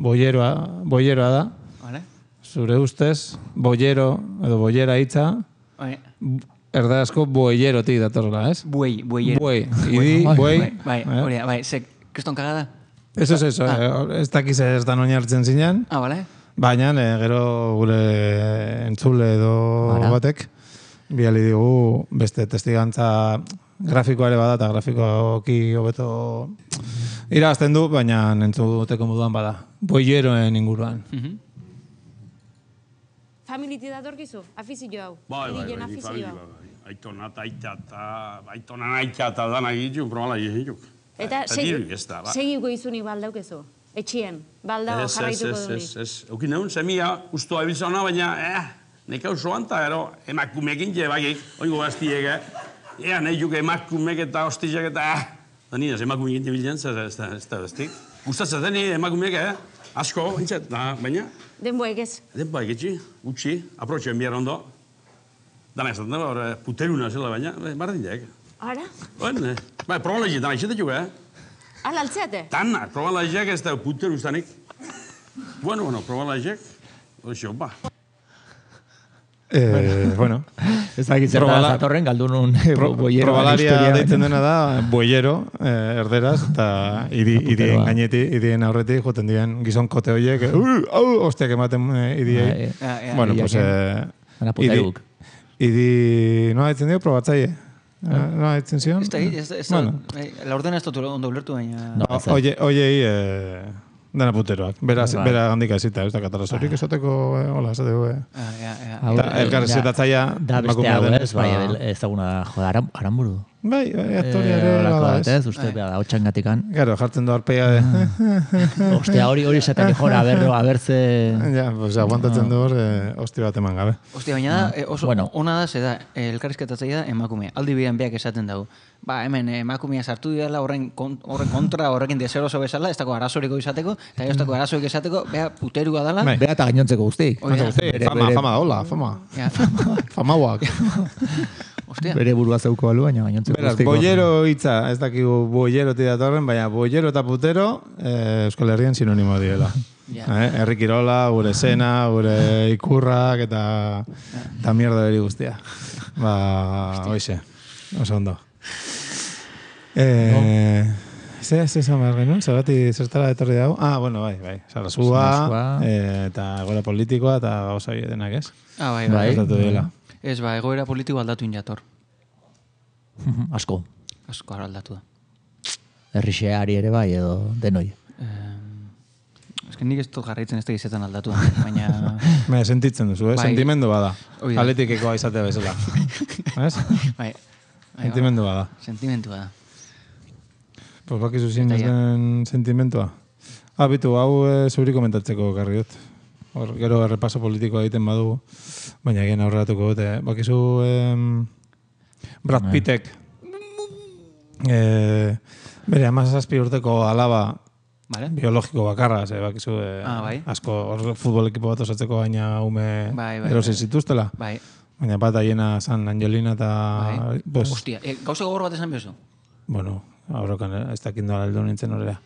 Speaker 3: boieroa, boieroa da.
Speaker 4: Vale.
Speaker 3: Zure ustez, boiero, edo boiera hitza,
Speaker 4: Bai.
Speaker 3: erdarazko boierotik datorla, ez?
Speaker 4: Buei, bueiero.
Speaker 3: Buei, idi, buei.
Speaker 4: Bai, hori, bai, ze, kriston kagada?
Speaker 3: Eso es eso, ez dakiz ez da noin hartzen zinean.
Speaker 4: Ah, vale.
Speaker 3: Baina, e, gero gure entzule edo batek, biali digu beste testigantza grafikoa ere bada, eta grafikoki hobeto irabazten du, baina entzuteko moduan bada. Boieroen inguruan.
Speaker 5: Familiti datorkizu, afizio hau.
Speaker 6: Bai, bai, bai, ni familia bai. Aitona, aita, eta aitona naita, eta dana egituk, probala egituk.
Speaker 5: Eta segiko izunik baldaukezu, etxien, baldau jarraituko dunik.
Speaker 6: Ez, ez, ez. Eukin egun, semia, ustoa ebiltzona, baina, eh, neka usoan, eta ero, emakumekin jebakik, oingo gaztiek, eh. Ea, nahi juke emakumek eta hostizak eta, eh. Da nina, emakumekin jebiltzen, ez da, ez da, bestik. Gustatzen zen, emakumeek, eh. Asko, intzat, baina...
Speaker 5: Denboek ez?
Speaker 6: Denboek etxi, utxi, aprotxen bihar ondo. Dana esaten da, hor, puteruna zela, baina, bardin jaek.
Speaker 5: Ara?
Speaker 6: Bueno, bai, proban lehiak, dana izatetuk, eh?
Speaker 5: Ala, altzeate?
Speaker 6: Dana, proban lehiak ez da puteru ustanik. Bueno, bueno, proban lehiak, oixo, ba.
Speaker 3: Eh, bueno.
Speaker 2: Ez dakit zer da zatorren, galdunun boiero.
Speaker 3: Probalaria deitzen dena da, boiero, eh, erderaz, eta idien gaineti, idien aurretik, joten dien gizon kote horiek, hau, hostiak ematen idiei. Bueno, pues...
Speaker 2: Gana puteruk.
Speaker 3: Idi, noa ditzen dio, probatzaile. Noa ditzen zion?
Speaker 4: Ez da, ez da, ez da, la ordena ez dut ondo ulertu, baina...
Speaker 3: Oiei, dena puteroak. Bera handika ezita, ez da katarazorik esateko, hola, ez dugu. Elkarrezitatzaia...
Speaker 2: Da beste hau ez, bai, ez daguna, joda, aramburu.
Speaker 3: Bai, aktoria ere bada ez.
Speaker 2: Uste, bera, hau txangatikan.
Speaker 3: Gero, jartzen du arpeia de...
Speaker 2: Ostia, hori hori esaten jora, berro, abertze...
Speaker 3: Ja, pues aguantatzen du hor, hosti bat eman gabe.
Speaker 4: Ostia, baina da, oso ona da, ze da, elkarrizketatzaia da emakumea. Aldi bidean beak esaten dugu. Ba, hemen emakumea sartu dira horren kontra, horrekin deseroso bezala, ez dako arazoriko izateko, eta ez dako arazorik izateko, bea puterua dala.
Speaker 2: Bea eta gainontzeko guztik.
Speaker 3: Fama, fama da, hola, fama. Famauak.
Speaker 4: Ostia.
Speaker 2: Bere burua zeuko balu, baina gainontzeko
Speaker 3: guztiko. Beraz, boiero hitza, ez dakigu boiero datorren, baina boiero eta putero Euskal Herrian sinonimo diela. Herri kirola, gure sena, gure ikurrak, eta eta mierda beri guztia. Ba, hoize, oso ondo. Eh, ze, ze esan behar genuen, zergati zertara etorri dago. Ah, bueno, bai, bai, Sarasua, eta egoera politikoa, eta gauza denak, ez?
Speaker 4: Ah, bai, bai.
Speaker 3: bai.
Speaker 4: Ez, ba, egoera politiko aldatu injator.
Speaker 2: Asko.
Speaker 4: Asko aldatu da.
Speaker 2: Herrixeari ere bai, edo denoi.
Speaker 4: Ez que nik ez dut jarraitzen ez da izetan aldatu da, baina...
Speaker 3: Baina, sentitzen duzu, eh? Sentimendu bada. Atletikekoa izatea bezala. Ez?
Speaker 4: Bai.
Speaker 3: Sentimendu bada.
Speaker 4: Sentimendu bada.
Speaker 3: Pues bakizu zin ez den sentimentua. Ah, bitu, hau zuri komentatzeko garri dut. Hor, gero errepaso politikoa egiten badugu, baina egin aurreratuko dute. Bakizu Brad Pittek E, bere, amazazpi urteko alaba
Speaker 4: vale.
Speaker 3: biologiko bakarra, ze bakizu, e,
Speaker 4: ah, bai.
Speaker 3: asko hor futbol ekipo bat osatzeko baina ume
Speaker 4: bai, bai,
Speaker 3: erosi
Speaker 4: bai.
Speaker 3: zituztela.
Speaker 4: Bai.
Speaker 3: Baina bat aiena zan Angelina eta...
Speaker 4: Bai.
Speaker 3: Pues,
Speaker 4: Hostia, e, gauza gogor bat esan bezu?
Speaker 3: Bueno, aurrokan ez dakindu aldo nintzen horrela.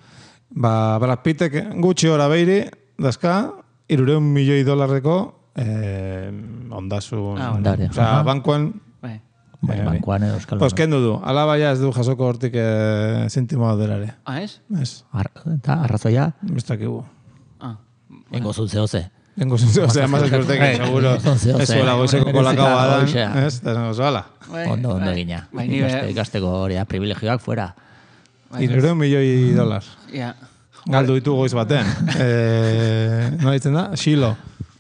Speaker 3: Ba, Brad Pittek gutxi hora beiri, dazka, irureun milioi dolarreko eh, ondasun...
Speaker 4: Ah,
Speaker 2: ondare.
Speaker 3: O sea, bankuan...
Speaker 4: Bai.
Speaker 2: Bai,
Speaker 3: eh,
Speaker 2: bankuan edo eskalo.
Speaker 3: Pues kendu du, alaba ja ez du jasoko hortik eh, zintimo derare.
Speaker 4: Ah, ez?
Speaker 3: Ez,
Speaker 2: Ar, eta arrazoia,
Speaker 3: ez dakigu.
Speaker 4: Ah.
Speaker 2: engo zut zehoze.
Speaker 3: Tengo zintze, osea, más urtek, seguro. Ez zuela goizeko kolakao badan, ez? Eta esango zoala.
Speaker 2: Ondo, ondo gina.
Speaker 4: Bai, ni be-
Speaker 2: Ikasteko hori da, privilegioak fuera.
Speaker 3: Irureun milioi dolar.
Speaker 4: Ja.
Speaker 3: Galdu ditu goiz baten. Eh, nola ditzen da? Xilo.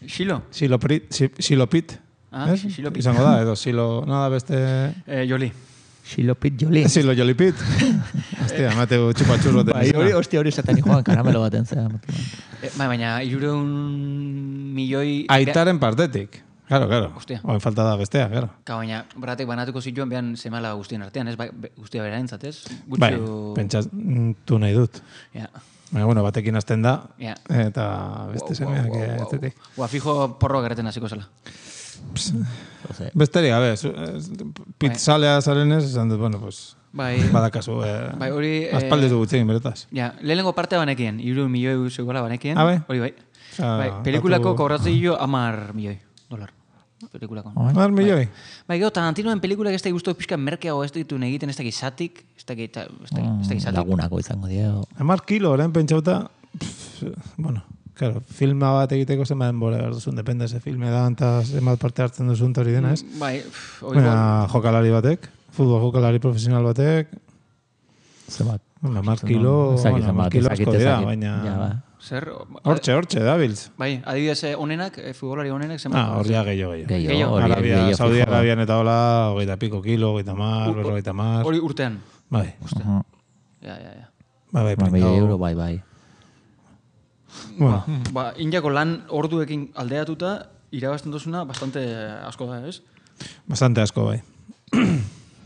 Speaker 4: Xilo?
Speaker 3: Xilo Prit. Xilo Pit.
Speaker 4: Ah,
Speaker 3: Ez?
Speaker 4: Xilo Pit.
Speaker 3: Izango da, edo Xilo... Nada beste...
Speaker 4: Eh, Joli.
Speaker 2: Xilopit joli.
Speaker 3: Xilo Joli Pit. Hostia, mateu txupatxurro
Speaker 2: Bai, hori, hostia, hori zaten joan karamelo baten zera.
Speaker 4: Eh, bai, baina irureun milioi...
Speaker 3: Aitaren partetik. Claro, claro.
Speaker 4: Hostia.
Speaker 3: Oen falta da bestea, claro.
Speaker 4: Ka, baina, bratek banatuko zituen behan semala guztien artean, ez? Bai, be- guztia bera entzat, ez?
Speaker 3: Bai,
Speaker 4: Gutxu...
Speaker 3: pentsatu nahi dut.
Speaker 4: Ja.
Speaker 3: Baina, bueno, batekin hasten da,
Speaker 4: Ja.
Speaker 3: eta beste semeak etzetik.
Speaker 4: Ua, fijo porroa gerraten hasiko zela.
Speaker 3: Besterik, gabe, zu- ez, pitzalea zarenez, esan dut, bueno, pues,
Speaker 4: Bai,
Speaker 3: badakazu, eh,
Speaker 4: bai, hori... eh,
Speaker 3: aspaldiz du gutxegin, beretaz.
Speaker 4: Ja, lehenengo partea banekien, iru milioi zegoela banekien.
Speaker 3: Ah, bai?
Speaker 4: Hori bai.
Speaker 3: Osea,
Speaker 4: Bai, pelikulako
Speaker 3: datu-
Speaker 4: kobratzen jo amar milioi dolar. Pelikulako.
Speaker 3: Mar milioi.
Speaker 4: Bai, gero, Tarantinoen pelikulak ez da guztu pixka merkeago ez ditu egiten ez dakit zatik, ez dakit, ez dakit, ez dakit zatik.
Speaker 2: Lagunako izango dio.
Speaker 3: Hamar kilo, orain pentsauta, pff, bueno, claro, filma bat egiteko zenbat denbora behar duzun, depende ze filme da, eta zenbat parte hartzen duzun hori dena, ez?
Speaker 4: Bai, pff, hori
Speaker 3: Baina jokalari batek, futbol jokalari profesional batek,
Speaker 2: Zebat.
Speaker 3: bueno, hamar kilo,
Speaker 2: Ezakit
Speaker 3: bueno, hamar
Speaker 2: zenbat,
Speaker 3: kilo
Speaker 2: ezakit,
Speaker 3: asko dira,
Speaker 2: ezakit.
Speaker 3: baina...
Speaker 2: Ja, ba.
Speaker 4: zer...
Speaker 3: Hortxe, hortxe, dabiltz.
Speaker 4: Bai, adibidez eh, onenak, eh, futbolari onenak, zenbat.
Speaker 3: Ah, hor ja gehiago, gehiago.
Speaker 2: Gehiago,
Speaker 4: Gehiago.
Speaker 2: hori,
Speaker 3: Arabia,
Speaker 2: gehiago
Speaker 3: Saudi
Speaker 2: fijo.
Speaker 3: Arabian eta hola, hogeita piko kilo, hogeita mar, berrogeita mar.
Speaker 4: Hori urtean.
Speaker 3: Bai,
Speaker 2: Ujú.
Speaker 4: Ja, ja, ja.
Speaker 3: bai, bai,
Speaker 2: Ba, milioi
Speaker 3: pringao.
Speaker 2: euro, bai, bai.
Speaker 3: Bueno,
Speaker 4: Ba, Indiako lan orduekin aldeatuta, irabazten duzuna bastante asko da, ez?
Speaker 3: bastante asko, bai.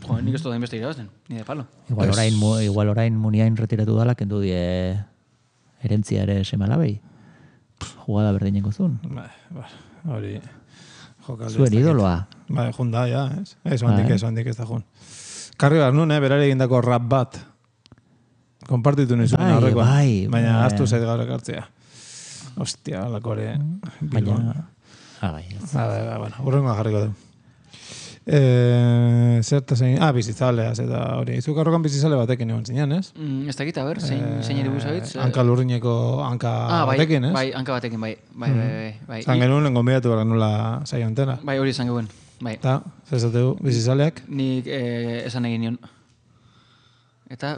Speaker 4: Jo, nik ez da inbeste irabazten, ni de palo.
Speaker 2: Igual orain, mu- igual orain muniain retiratu dala, kendu die erentzia ere semalabei. Jugada berdineko zuen.
Speaker 3: Bai, bai, hori... jokaldi
Speaker 2: Zuen
Speaker 3: ez dakit.
Speaker 2: idoloa.
Speaker 3: Bai, jun da, ja, ez? Ez, handik
Speaker 2: Bai.
Speaker 3: ez, handik ez da jun. Karri behar nun, eh, berare egindako rap bat. Konpartitu nizuen
Speaker 2: Bai,
Speaker 3: aurrekoan.
Speaker 2: bai,
Speaker 3: Baina
Speaker 2: bai.
Speaker 3: aztu zait gaur ekartzea. Ostia, alakore...
Speaker 2: Baina... Ah, bai. ez.
Speaker 3: Ba, ba, ba, bueno, urrengoa jarriko du. Eh, zerta zein... Ah, bizitzaleaz eta hori. Izuk aurrokan bizitzale batekin egon zinean, ez?
Speaker 4: Mm, ez dakit, a ber, zein,
Speaker 3: Eh,
Speaker 4: zein ere buzabitz?
Speaker 3: Hanka lurrineko hanka
Speaker 4: ah, bai,
Speaker 3: batekin, ez?
Speaker 4: bai, hanka batekin, bai, bai, bai, bai, bai.
Speaker 3: Zan
Speaker 4: I-
Speaker 3: genuen lehen gonbidatu behar nula saio antena.
Speaker 4: Bai, hori esan geuen, bai.
Speaker 3: Eta, zezateu, bizitzaleak?
Speaker 4: Nik eh, esan egin nion. Eta,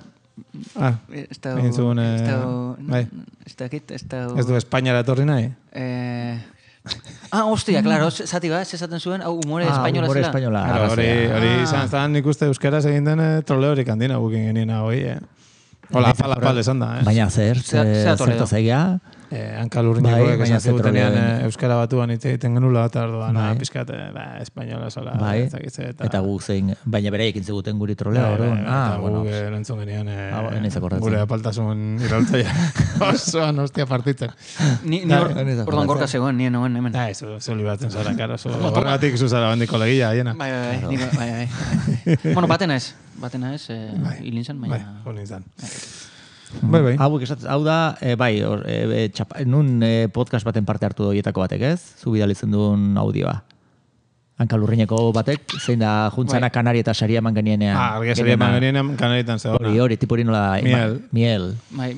Speaker 3: Ah,
Speaker 4: eh, ez da...
Speaker 3: egin zuen, eh,
Speaker 4: Ez da...
Speaker 3: bai.
Speaker 4: Ez dakit, ez da...
Speaker 3: ez du Espainiara etorri nahi?
Speaker 4: Eh... Ah, hostia, claro, zati ba, zezaten zuen, hau umore
Speaker 2: Ah,
Speaker 4: espainola
Speaker 2: humore
Speaker 4: zela.
Speaker 2: espainola.
Speaker 3: Claro, hori,
Speaker 2: arrazoia.
Speaker 3: hori
Speaker 4: Ah.
Speaker 3: izan zan ikuste euskaraz egin den eh, troleorik handina gukin genien hau, eh? Hola, pala pal esan da, eh?
Speaker 2: Baina zer,
Speaker 4: Zea-
Speaker 2: ze-
Speaker 4: zea Toledo.
Speaker 2: zertaz egia,
Speaker 3: Eh, hanka lurrinekoek
Speaker 2: Bai, baina
Speaker 3: esan
Speaker 2: ze
Speaker 3: zigutenean
Speaker 2: troleo-
Speaker 3: eh, euskara batuan hitz egiten genula, eta orduan,
Speaker 2: Bai.
Speaker 3: ah, pizkat, eh, ba, espainola sola,
Speaker 2: bai,
Speaker 3: ez dakit ze, eta...
Speaker 2: eta guk zein, baina bereikin ziguten guri trolea,
Speaker 3: Bai,
Speaker 2: orduan.
Speaker 3: bai, bai,
Speaker 2: Ah,
Speaker 3: eta
Speaker 2: bueno.
Speaker 3: guk erantzun genian eh,
Speaker 2: Ah, ba, ez akordatzen.
Speaker 3: gure apaltasun iraltzaia osoan hostia partitzen.
Speaker 4: Ni, ni hor,
Speaker 2: Bai, ez da
Speaker 4: orduan gorka
Speaker 2: jokatzen.
Speaker 4: zegoen, nien noen hemen.
Speaker 3: Da, eso, eso libratzen zara, karo. Horregatik zu zara bandiko legia, hiena.
Speaker 4: Bai, bai, bai, nik- bai, bai, bai. Bueno, batena ez, batena ez, eh, hilin zen,
Speaker 3: Bai,
Speaker 4: baina...
Speaker 3: hon izan. Bai, bai.
Speaker 2: Hau esatzen, hau da, e, bai, or, e, e, txapa, nun e, podcast baten parte hartu doietako batek, ez? Zu bidalitzen duen audioa. Hankalurrineko batek, zein da juntzana
Speaker 4: Bai.
Speaker 2: Kanari eta Saria eman genienean.
Speaker 3: Ah, argia seria eman genien kanaritan zegoena.
Speaker 2: Hori, hori, tipo hori nola...
Speaker 3: Miel.
Speaker 2: ma- Miel.
Speaker 4: Bai,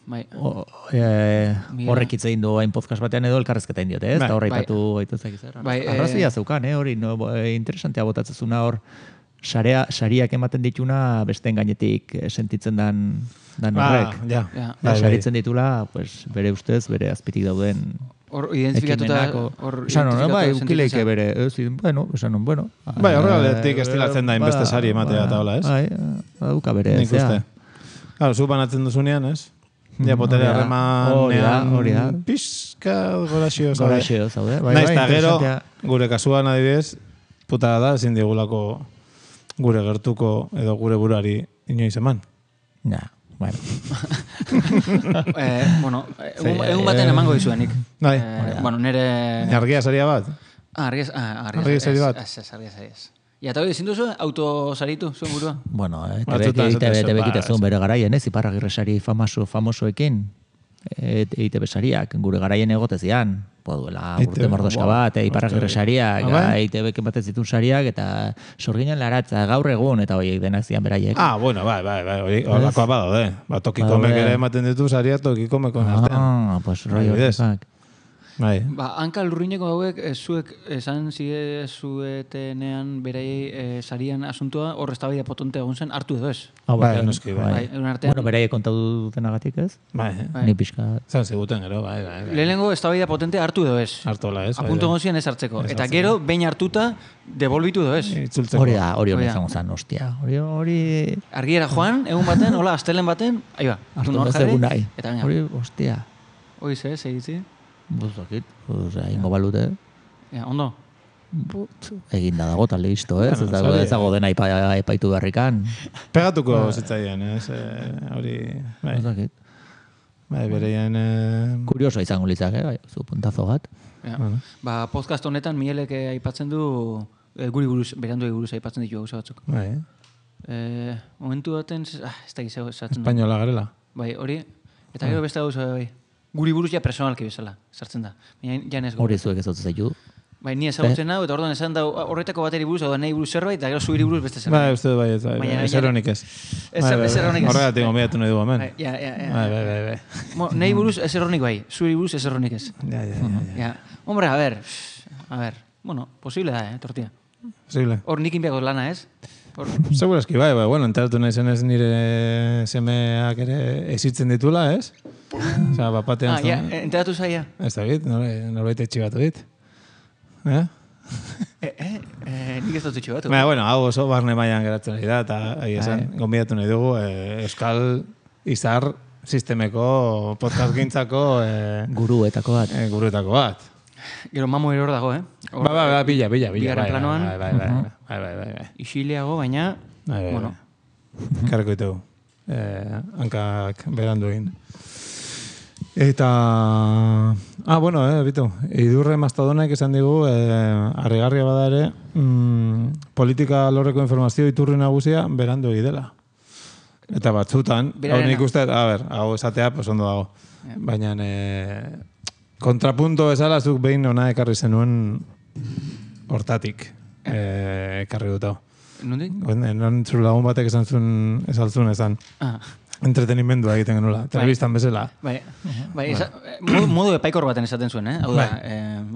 Speaker 4: bai,
Speaker 2: O, e,
Speaker 4: Miel.
Speaker 2: horrek hitz egin du hain podcast batean edo elkarrezketa indiote, ez?
Speaker 3: Bai.
Speaker 2: Eta horre
Speaker 4: Bai.
Speaker 2: ipatu gaitu zaki zer.
Speaker 4: Bai, eh,
Speaker 2: Arrazoia zeukan, eh? Hori, no, bo- e, interesantea botatzezuna hor, sarea, sariak ematen dituna besteen gainetik eh, sentitzen dan, dan
Speaker 3: Ah,
Speaker 2: horrek.
Speaker 3: ja.
Speaker 4: ja.
Speaker 2: Da,
Speaker 3: Bai, bai.
Speaker 2: saritzen ditula, pues, bere ustez, bere azpitik dauden
Speaker 4: Hor identifikatuta...
Speaker 2: ekimenako.
Speaker 4: hor
Speaker 2: Esan hon,
Speaker 4: identifikatuta
Speaker 2: bai,
Speaker 4: sentitzen
Speaker 2: ukileike
Speaker 4: zen.
Speaker 2: bere, ez, bueno, esan hon, bueno.
Speaker 3: Bai, horregatik
Speaker 2: eh,
Speaker 3: estilatzen da inbeste sari ematea eta hola, ez?
Speaker 2: Bai, baduka bere,
Speaker 3: Nik
Speaker 2: zea.
Speaker 3: uste. Claro, zu banatzen duzunean, ez? Ja,
Speaker 2: hori
Speaker 3: botere
Speaker 2: da,
Speaker 3: harremanean...
Speaker 2: hori da, hori da.
Speaker 3: Pizka goraxio, zaude.
Speaker 2: Goraxeo, zaude. Bai,
Speaker 3: Naiz
Speaker 2: bai,
Speaker 3: eta gero,
Speaker 2: interesantea.
Speaker 3: gure kasuan adibidez, putada da, ezin digulako gure gertuko edo gure burari inoiz eman.
Speaker 2: Ja, bueno.
Speaker 4: eh, bueno, egun baten emango dizuenik.
Speaker 3: Bai.
Speaker 4: Eh, bueno, nire...
Speaker 3: Argia saria bat?
Speaker 4: Ah, argia, ah, argia,
Speaker 3: argia sari bat?
Speaker 4: Ez, ez, argia sari ez. Ja, eta hori, ezin duzu autosaritu, zuen burua?
Speaker 2: Bueno, T V kitezun bere garaien, ez, Iparragirre famoso, famosoekin, E T B sariak, gure garaien egotezian, duela urte mordoska bat, Iparragirre sariak, E T B batet zitun sariak, eta sorginen laratza gaur egun, eta horiek denak zian beraiek.
Speaker 3: Ah, bueno, bai, bai, bai, holakoa badaude. Ba, tokikomek ere ematen ditu saria tokikomekon artean.
Speaker 2: Ah, pues roi horretak.
Speaker 3: Bai.
Speaker 4: Ba, hanka lurrineko hauek, zuek esan zide zuetenean beraiei sarian asuntua, hor eztabaida potente egon zen, hartu edo ez?
Speaker 3: Ah, bai, noski, bai.
Speaker 2: Bueno, beraiei kontatu dutenagatik ez?
Speaker 3: Bai,
Speaker 2: ni pixka.
Speaker 3: Zan ziguten, gero, bai, bai.
Speaker 4: Lehenengo eztabaida potente hartu edo ez?
Speaker 3: Hartola ez.
Speaker 4: Apuntu egon zian ez hartzeko. Eta gero, behin hartuta, devolbitu edo ez?
Speaker 2: Hori da, hori hori izango zan, ostia. Hori, hori...
Speaker 4: Argiera joan, egun baten, hola, astelen baten, ahi ba,
Speaker 2: hartu nor jarri, eta gaina. Hori, ostia.
Speaker 4: Hori ze, segitzi?
Speaker 2: Buzakit, osea, ingo balute.
Speaker 4: Ja, ondo.
Speaker 2: Egin da dago, talde izto, ez? Ez dago, ez dago dena epaitu beharrikan.
Speaker 3: Pegatuko zitzaien, ez? Hori, bai.
Speaker 2: Buzakit.
Speaker 3: Bai, bereien...
Speaker 2: Kurioso izango litzak, eh? Zu puntazo bat.
Speaker 4: Ba, podcast honetan, Mielek aipatzen du, guri buruz, berandu buruz aipatzen ditu gauza batzuk.
Speaker 3: Bai.
Speaker 4: Momentu daten, ez da gizeo esatzen du.
Speaker 3: Espainola garela.
Speaker 4: Bai, hori, eta gero beste gauza, bai. Guri buruz ja personalki bezala, sartzen da.
Speaker 2: Hori zuek ez dut zaitu.
Speaker 4: Bai, ni ezagutzen hau, eta orduan esan da horretako bateri buruz, hau da nahi buruz zerbait, eta gero zuiri buruz beste zerbait.
Speaker 3: Bai, uste bai, ez bai, ez eronik ez.
Speaker 4: Ez eronik ez.
Speaker 3: Horregatik gombidatu nahi du hemen.
Speaker 4: Ja, ja, ja.
Speaker 3: Bai, bai, bai, bai.
Speaker 4: Nahi buruz ez eronik bai, zuiri buruz ez eronik ez.
Speaker 3: Ja, ja, ja.
Speaker 4: Hombre, a ver, a ver, bueno, posible da, eh, tortilla.
Speaker 3: Posible.
Speaker 4: Hor nik inbiako lana ez.
Speaker 3: Seguro eski bai, bai, bueno, enteratu nahi zenez nire semeak ere ezitzen ditula, ez? Osa, bapatean...
Speaker 4: Ah, ja, enteratu zaia.
Speaker 3: Ez da bit, norbait etxibatu dit. Eh?
Speaker 4: Eh, eh, nik ez dut etxibatu.
Speaker 3: Baina, bueno, hau oso barne mailan geratzen nahi da, eta ahi esan, gombidatu nahi dugu, Euskal Izar sistemeko podcast gintzako...
Speaker 2: Guruetako bat.
Speaker 3: Guruetako bat.
Speaker 4: Gero mamo eror dago, eh?
Speaker 3: Ba, ba, ba, bila, bila, bila.
Speaker 4: Bigarren planoan.
Speaker 3: Bai, bai, bai, bai, bai, bai, bai.
Speaker 4: Isileago, baina, bueno.
Speaker 3: Karreko itegu. Hankak berandu egin. Eta... Ah, bueno, eh, bitu. Idurre Mastodonek esan digu, harrigarria bada ere, politika lorreko informazio iturri nagusia berandu egidela. Eta batzutan, hau nik uste, a ber, hau esatea, pues ondo dago. Baina, kontrapunto bezala zuk behin ona ekarri zenuen hortatik ekarri dut hau.
Speaker 4: Nondik?
Speaker 3: Non lagun batek esan zuen esaltzun esan. Entretenimendua egiten genula, telebistan bezala.
Speaker 4: Bai, bai, modu epaikor baten esaten zuen, eh?
Speaker 3: Bai,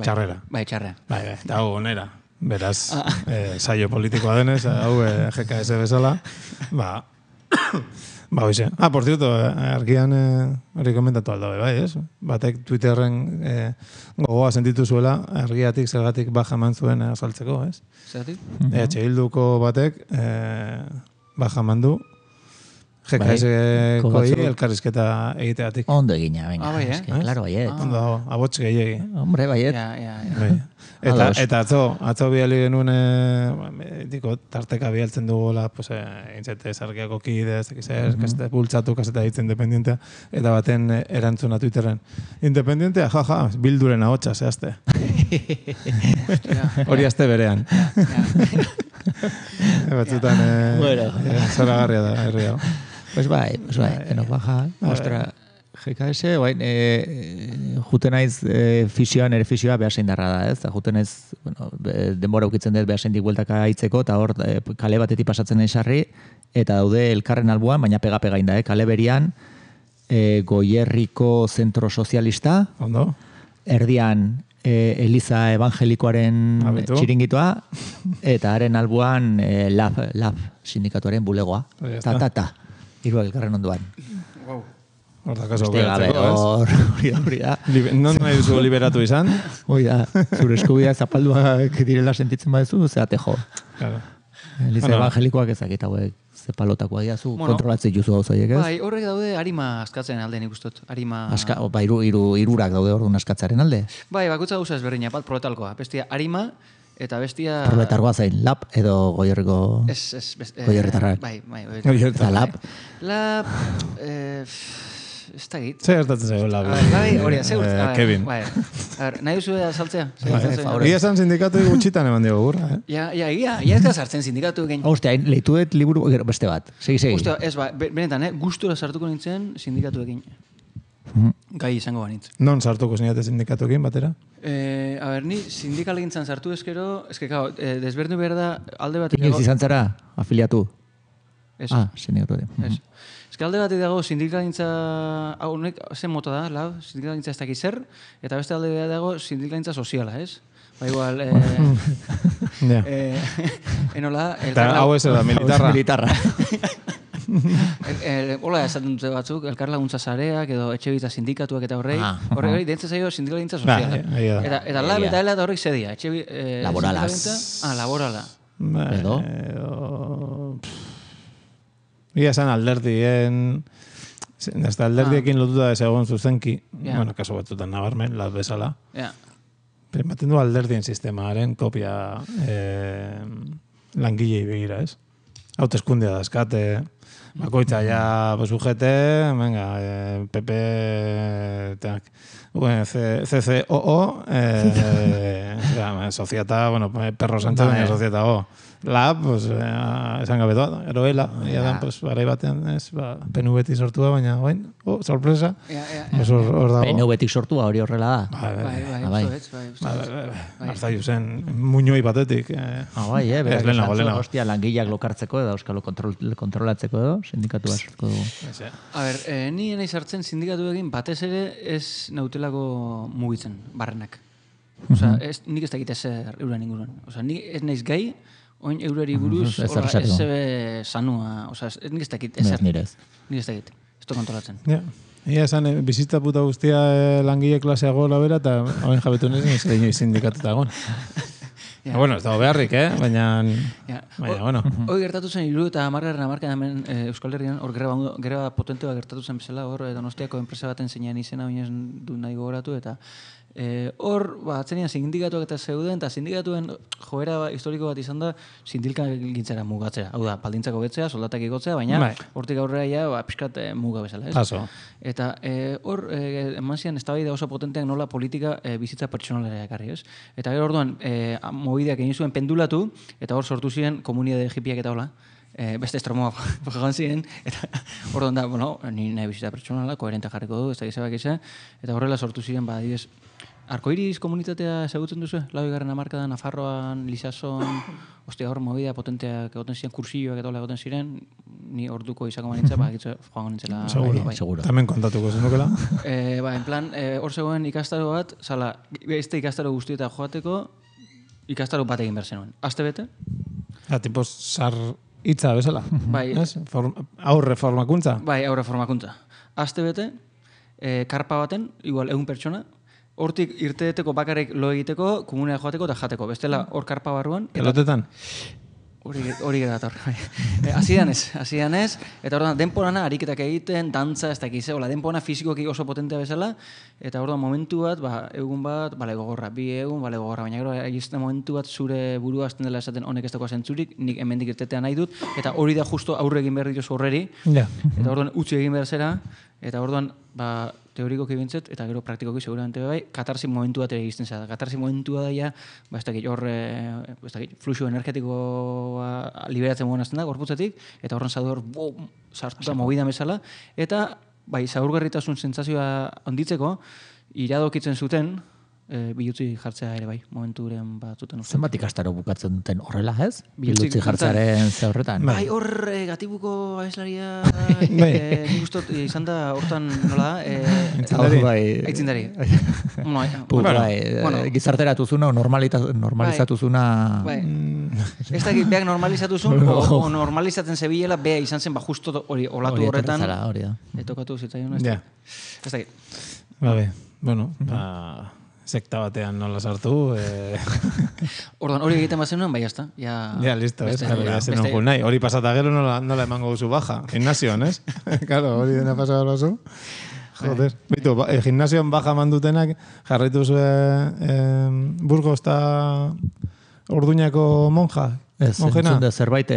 Speaker 3: txarrera.
Speaker 4: Bai, txarrera.
Speaker 3: Bai, bai, eta hau onera. Beraz, saio politikoa denez, hau G K S bezala. Ba, ba, hoxe. Ah, por cierto, argian hori komentatu aldabe, bai, ez? Batek Twitterren gogoa sentitu zuela, argiatik zergatik baja eman zuen azaltzeko, ez?
Speaker 4: Zergatik?
Speaker 3: E H Bilduko batek baja eman du G K S-koi elkarrizketa egiteatik.
Speaker 2: Ondo egina, venga.
Speaker 4: Ah, bai, eh?
Speaker 2: Claro, baiet.
Speaker 3: Ondo dago, abots gehiagi.
Speaker 2: Hombre, baiet.
Speaker 4: Ja, ja, ja.
Speaker 3: Eta, eta atzo, atzo bihali genuen, eh, diko, tarteka bihaltzen dugola, pues, eh, intzete sargiako kide, ez dakizer, uh-huh. kaseta bultzatu, kaseta hitz independientea, eta baten eh, erantzuna Twitterren. Independientea, jaja, ja, bilduren ahotsa, zehazte. Hori azte berean. Batzutan, eh,
Speaker 2: bueno.
Speaker 3: eh, zoragarria da, herri hau.
Speaker 2: Pues bai, pues bai, denok baja. Ostra, G K S, guain, e, juten naiz e, fisioan, ere fisioa behar zein darra da, ez? Juten naiz, bueno, denbora ukitzen dut behar zein dik bueltaka aitzeko, eta hor e, kale batetik pasatzen nahi sarri, eta daude elkarren albuan, baina pega-pega inda, eh? Kale berian, e, Goierriko Zentro Sozialista,
Speaker 3: Ondo.
Speaker 2: Erdian e, Eliza Evangelikoaren
Speaker 3: Abitu.
Speaker 2: Txiringitoa, eta haren albuan e, Lab, Lab sindikatuaren bulegoa. Ta, ta, ta. Hiru elkarren onduan.
Speaker 4: Wow.
Speaker 3: Hor da kaso
Speaker 2: Beste gabe, hor, hori da, hori da.
Speaker 3: Non nahi duzu liberatu izan?
Speaker 2: Hori da, zure eskubia zapalduak direla sentitzen badezu, zeate jo.
Speaker 3: Claro.
Speaker 2: Eliza bueno. Evangelikoak ezakit hauek zepalotakoa diazu, bueno, kontrolatzen juzu hau zaiek, ez?
Speaker 4: Bai, horrek daude harima askatzen alde nik ustot. Harima...
Speaker 2: Aska, ba, iru, iru, irurak daude orduan askatzaren alde?
Speaker 4: Bai, bakutza gauza ezberdina, bat proletalkoa. Bestia, harima, Eta bestia...
Speaker 2: Proletargoa zain, lab edo goierriko...
Speaker 4: Ez, ez...
Speaker 2: Goierritarrak.
Speaker 4: Bai, bai.
Speaker 2: Eta lab?
Speaker 4: Lab... Ez da git.
Speaker 3: Zer gertatzen zego lab?
Speaker 4: Bai, hori, zer
Speaker 3: gertatzen. Kevin.
Speaker 4: Nahi duzu saltzea?
Speaker 3: Ia esan sindikatu gutxitan eman digo gurra, eh?
Speaker 4: Ja, ja, ia, ia ez da sartzen sindikatu egin.
Speaker 2: Hostia, lehitu dut liburu beste bat. Segi, segi.
Speaker 4: Hostia, ez ba, benetan, eh? Gustura sartuko nintzen sindikatu egin. Gai izango banitz.
Speaker 3: Non sartuko zinate sindikatu egin batera?
Speaker 4: Eh, a ber, ni sindikal egintzan sartu ezkero, eske, kao, eh, desberdu behar da alde bat...
Speaker 2: Inoiz izan zara, afiliatu?
Speaker 4: Ez.
Speaker 2: Ah, sindikatu egin.
Speaker 4: Ez. Eske alde bat dago sindikalintza, hau, nek, zen mota da, lau, sindikalintza ez dakiz zer, eta beste alde bat dago sindikalintza soziala, ez? Ba igual, eh...
Speaker 3: Ja.
Speaker 4: eh, enola...
Speaker 3: Eta hau ez da, militarra.
Speaker 2: Militarra.
Speaker 4: Hola, esaten dute batzuk, elkar laguntza sareak edo etxe bita sindikatuak eta horrei,
Speaker 2: Ah,
Speaker 4: horrei hori dentza zaio sindikalintza soziala.
Speaker 3: Ba, egia da.
Speaker 4: Eta, eta lab eta hela eta horrek zedia. Etxe, eh,
Speaker 2: Laborala.
Speaker 4: sindikalintza- Ah, laborala.
Speaker 2: Edo?
Speaker 3: Ia esan alderdien... Ez da alderdiekin lotuta ez egon zuzenki.
Speaker 4: Ja.
Speaker 3: Bueno, kaso batzutan nabarmen, lab bezala.
Speaker 4: Ja.
Speaker 3: Ematen du alderdien sistemaren kopia eh, langilei begira, ez? Hauteskundea dazkate, bakoitza ja, pues, U G T, venga, eh, P P, tak, bueno, C C O O, eh, ja, Societa, bueno, Perro Sánchez, baina Societa O. Lab, pues, eh, esan gabe doa, eroela, ia da, pues, barai batean, ez, ba, P N V-tik sortua, baina, bain, oh, sorpresa,
Speaker 4: Ja, ja,
Speaker 3: pues, hor, hor dago.
Speaker 2: P N V-tik sortua hori horrela da.
Speaker 3: Bai,
Speaker 4: Bai, bai,
Speaker 2: bai.
Speaker 4: bai, bai,
Speaker 3: Ba, ba, ba, Arzaiu zen, muñoi batetik. Eh,
Speaker 2: Ah, bai, eh, berak
Speaker 3: Ez, lehenago,
Speaker 2: esan zuen,
Speaker 3: lehenago.
Speaker 2: hostia, langileak lokartzeko edo euskalo kontrol, kontrolatzeko edo, sindikatu sortuko dugu.
Speaker 3: ez, eh.
Speaker 4: A ber, eh, ni nahi sartzen sindikatu egin batez ere ez nautelako mugitzen, barrenak. Osa, ez, nik ez dakit ezer euren inguruan. Osa, nik ez naiz gai, oin eurari buruz,
Speaker 2: Ez
Speaker 4: hola,
Speaker 2: esateko.
Speaker 4: ez zebe sanua, osa, ez- nik ez dakit
Speaker 2: Ez
Speaker 4: ezer.
Speaker 2: nire ez.
Speaker 4: Nik ez dakit, ez du kontrolatzen.
Speaker 3: Ja. Ia esan, eh, bizitza puta guztia eh, langile klasea gola bera, eta hauen jabetu nezen ez da sindikatuta egon.
Speaker 4: Ja.
Speaker 3: Bueno, ez dago beharrik, eh? Baina,
Speaker 4: Ja.
Speaker 3: baina, bueno.
Speaker 4: Hoi gertatu zen hiru eta hamargarren hamarkadan hemen eh, Euskal Herrian, hor greba, greba potentea gertatu zen bezala, hor eh, Donostiako enpresa baten zeinan izena, baina du nahi gogoratu, eta eh, hor, ba, atzenian sindikatuak eta zeuden, eta sindikatuen joera ba, historiko bat izan da, sindikagintzara mugatzea. Hau da, baldintzak hobetzea, soldatak igotzea, baina
Speaker 3: Bai.
Speaker 4: hortik aurrera ja, ba, pixkat eh, muga bezala, ez?
Speaker 3: Paso.
Speaker 4: Eta eh, hor, eh, eman zian, eztabaida oso potenteak nola politika eh, bizitza pertsonalera ekarri, ez? Eta gero orduan, eh, mobideak egin zuen pendulatu, eta hor sortu ziren komunitate hipiak eta hola, eh, beste estromoa joan ziren, eta orduan da, bueno, ni nahi bizitza pertsonala, koherente jarriko du, ez da gizabak izan, eta horrela sortu ziren, ba, adibidez, Arkoiris komunitatea ezagutzen duzu? Laugarren hamarkadan, Nafarroan, Lizason, ostia hor movida potenteak egoten ziren, kursioak eta hola egoten ziren, ni orduko izako manitza, ba, egitze joango nintzela.
Speaker 3: Seguro,
Speaker 4: bai.
Speaker 2: seguro.
Speaker 3: Tamen kontatuko zenukela.
Speaker 4: Eh, ba, en plan, eh, hor zegoen ikastaro bat, zala, beste ikastaro guztieta joateko, ikastaro bat egin behar zenuen. Aste bete,
Speaker 3: Ja, tipo, sar hitza bezala.
Speaker 4: bai,
Speaker 3: Ez? Form, aurre formakuntza.
Speaker 4: bai, aurre formakuntza. Aste bete, eh, karpa baten, igual egun pertsona, hortik irteeteko bakarrik lo egiteko, komunea joateko eta jateko. Bestela, hor karpa barruan. eta-
Speaker 3: Pelotetan.
Speaker 4: Hori hori gara dator. Eh, Hasian ez, hasian ez, eta orduan denporana ariketak egiten, dantza, ez dakiz, hola, denporana fisikoki oso potentea bezala, eta orduan momentu bat, ba, egun bat, bale gogorra, bi egun, bale gogorra, baina gero egizten momentu bat zure burua hasten dela esaten honek ez dagoa zentzurik, nik hemendik irtetea nahi dut, eta hori da justo aurre egin behar dituzu horreri,
Speaker 3: Ja.
Speaker 4: eta orduan utzi egin behar zera, eta orduan, ba, teorikoki bintzet, eta gero praktikoki seguramente bai, katarsi momentu bat ere egizten zara. Katarsi momentua da ja, ba, ez dakit, hor, eh, ez dakit, fluxu energetikoa liberatzen moan azten da, gorputzetik, eta horren zadu hor, bum, sartuta movida bezala, eta, bai, zaurgarritasun sentsazioa onditzeko, iradokitzen zuten, e, bilutzi jartzea ere bai, momenturen batzutan uste.
Speaker 2: Zenbat ikastaro bukatzen duten horrela, ez?
Speaker 4: Bilutzi
Speaker 2: Bilutzi jartzearen ze horretan.
Speaker 4: Bai, hor e, gatibuko abeslaria
Speaker 3: Bai.
Speaker 4: e, nik ustot e, izan da hortan nola da? E,
Speaker 2: Hau, bai,
Speaker 4: Aitzindari. Bueno,
Speaker 2: Pu,
Speaker 4: bueno,
Speaker 2: bai,
Speaker 4: bueno,
Speaker 2: gizarteratu zuna, normalita- normalizatu zuna...
Speaker 4: bai. Ez da, beak normalizatu zuen, o, o normalizatzen zebilela, bea izan zen, ba, justo hori olatu
Speaker 2: Hori
Speaker 4: horretan.
Speaker 2: etorri zara, hori da.
Speaker 4: Etokatu zitzaion, ez
Speaker 3: Ja.
Speaker 4: da. Ez da,
Speaker 3: Babe, bueno, ba, sekta batean nola sartu. Eh,
Speaker 4: orduan hori egiten bat zenuen, bai, jazta. Ja,
Speaker 3: ja, listo, ez?
Speaker 4: beste-
Speaker 3: Claro, ya
Speaker 4: beste-
Speaker 3: zen nahi. Hori pasata gero nola, nola emango duzu baja. Gimnasioan, ez? Claro, hori dena pasada lozu. Joder. Bitu, ba, eh, gimnasioan baja mandutenak jarraitu zuen eh, Burgos eta Orduñako monja?
Speaker 2: Ez, entzun da zerbait,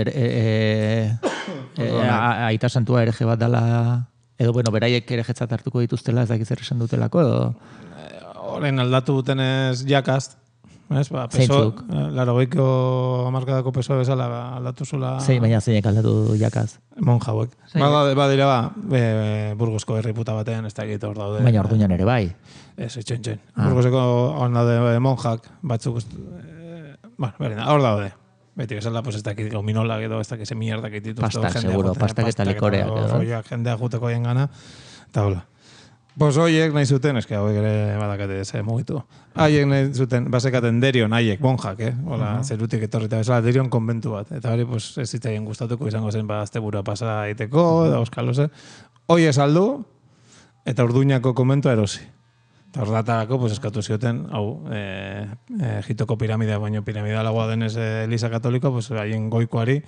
Speaker 2: aita santua ereje bat dala, edo, bueno, beraiek erejetzat hartuko dituztela, ez dakiz zer esan dutelako, edo?
Speaker 3: Horren aldatu dutenez jakaz, ez, ba, peso, laro goiko amarkadako peso bezala aldatu zula...
Speaker 2: Zein, baina zeinek aldatu jakaz?
Speaker 3: Monja hauek. Ba, dira ba, Burgosko herriputa batean, ez da egite hor daude.
Speaker 2: Baina orduñan ere bai?
Speaker 3: Ez, etxen, etxen. Burgoseko hor daude monjak, batzuk, bueno, berina, hor daude. Beti bezala, pues ez dakit gominolak edo, ez dakit ze mierdak dituzte.
Speaker 2: Pastak, seguro, pastak eta likoreak edo.
Speaker 3: Jendea juteko hien gana, eta hola. Pues hoiek nahi zuten, eske hauek ere badakate ze mugitu. Haiek nahi zuten, basekaten derion, haiek, monjak, eh? Hola, uh-huh. Zerutik etorrita bezala, derion konbentu bat. Eta hori, pues, ez zitzaien gustatuko izango zen, ba, aztebura pasa aiteko, da oskaloze. Hoi esaldu, eta Orduñako konbentua erosi. Eta ordatarako, pues, eskatu zioten, hau, e, e, Egiptoko piramidea, baino piramidalagoa denez e, Eliza Katoliko, pues, haien goikoari,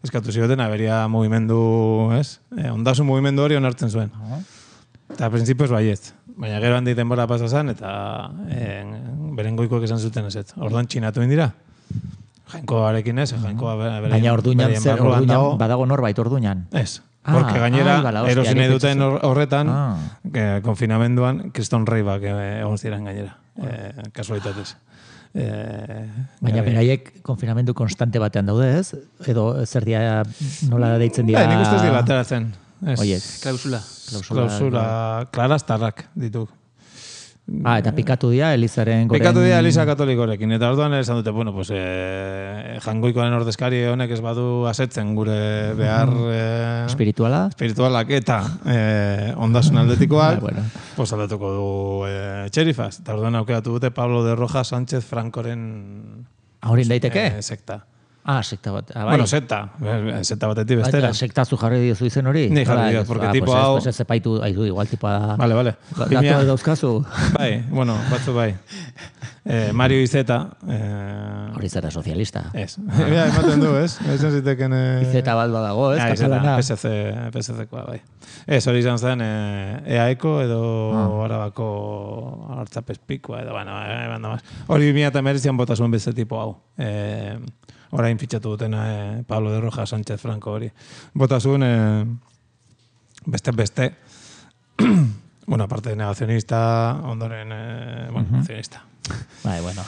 Speaker 3: eskatu zioten, aberia mugimendu, ez? E, ondasun mugimendu hori onartzen zuen. Eta prinsipioz baiet. Baina gero handi denbora pasa zen, eta e, beren goikoek esan zuten ez. Orduan txinatu indira. Jainkoarekin ez, jainkoa beren...
Speaker 2: Baina orduñan, zer, orduñan, badago norbait orduñan?
Speaker 3: Ez. Porque gainera, erosin nahi duten horretan, konfinamenduan, kriston reibak egon ziren gainera. Kasualitatez.
Speaker 2: Baina beraiek konfinamendu konstante batean daude ez? Edo zer dia nola deitzen dira...
Speaker 3: Nik ustez dira ateratzen.
Speaker 2: Oiek.
Speaker 4: Klausula.
Speaker 3: Klausula, klaraztarrak ditu.
Speaker 2: Ah, eta pikatu dira Elizaren goren...
Speaker 3: Pikatu dira Eliza Katolikorekin. Eta orduan esan dute, bueno, pues, eh, jangoikoaren ordezkari honek ez badu asetzen gure behar... Eh,
Speaker 2: espirituala?
Speaker 3: Espiritualak eta eh, ondasun aldetikoak, bueno. Pues aldatuko du eh, txerifaz. Eta orduan aukeratu dute Pablo de Rojas Sánchez Francoren...
Speaker 2: Ahorin daiteke?
Speaker 3: Eh, sekta.
Speaker 2: Ah, sekta bat. Ah,
Speaker 3: bai. Bueno, sekta. Sekta batetik bestera.
Speaker 2: Baina, sekta zu jarri diozu izen hori?
Speaker 3: Ni jarri diot, porque ah, tipo hau...
Speaker 2: Pues ez zepaitu, aizu, igual tipoa da...
Speaker 3: Vale, vale.
Speaker 2: Datu dauzkazu?
Speaker 3: Bai, bueno, batzu bai. Eh, Mario Izeta... Eh...
Speaker 2: Hori zera sozialista.
Speaker 3: Ez. Ja, ematen du, ez? Ezan ziteken... Eh...
Speaker 2: Izeta bat badago, ez?
Speaker 3: Ah, Izeta, P S C, P S C-koa, bai. Ez, hori izan zen eh, E A E-ko edo ah. Arabako hartzapespikoa, edo, bueno, eh, hori bimia eta merezian bota zuen beste tipo hau. Eh... Orain fitxatu dutena eh, Pablo de Rojas Sánchez Franco hori. Bota zuen eh, beste-beste, bueno, aparte de negazionista, ondoren, eh, bueno, uh-huh. Negazionista.
Speaker 2: Bai, bueno.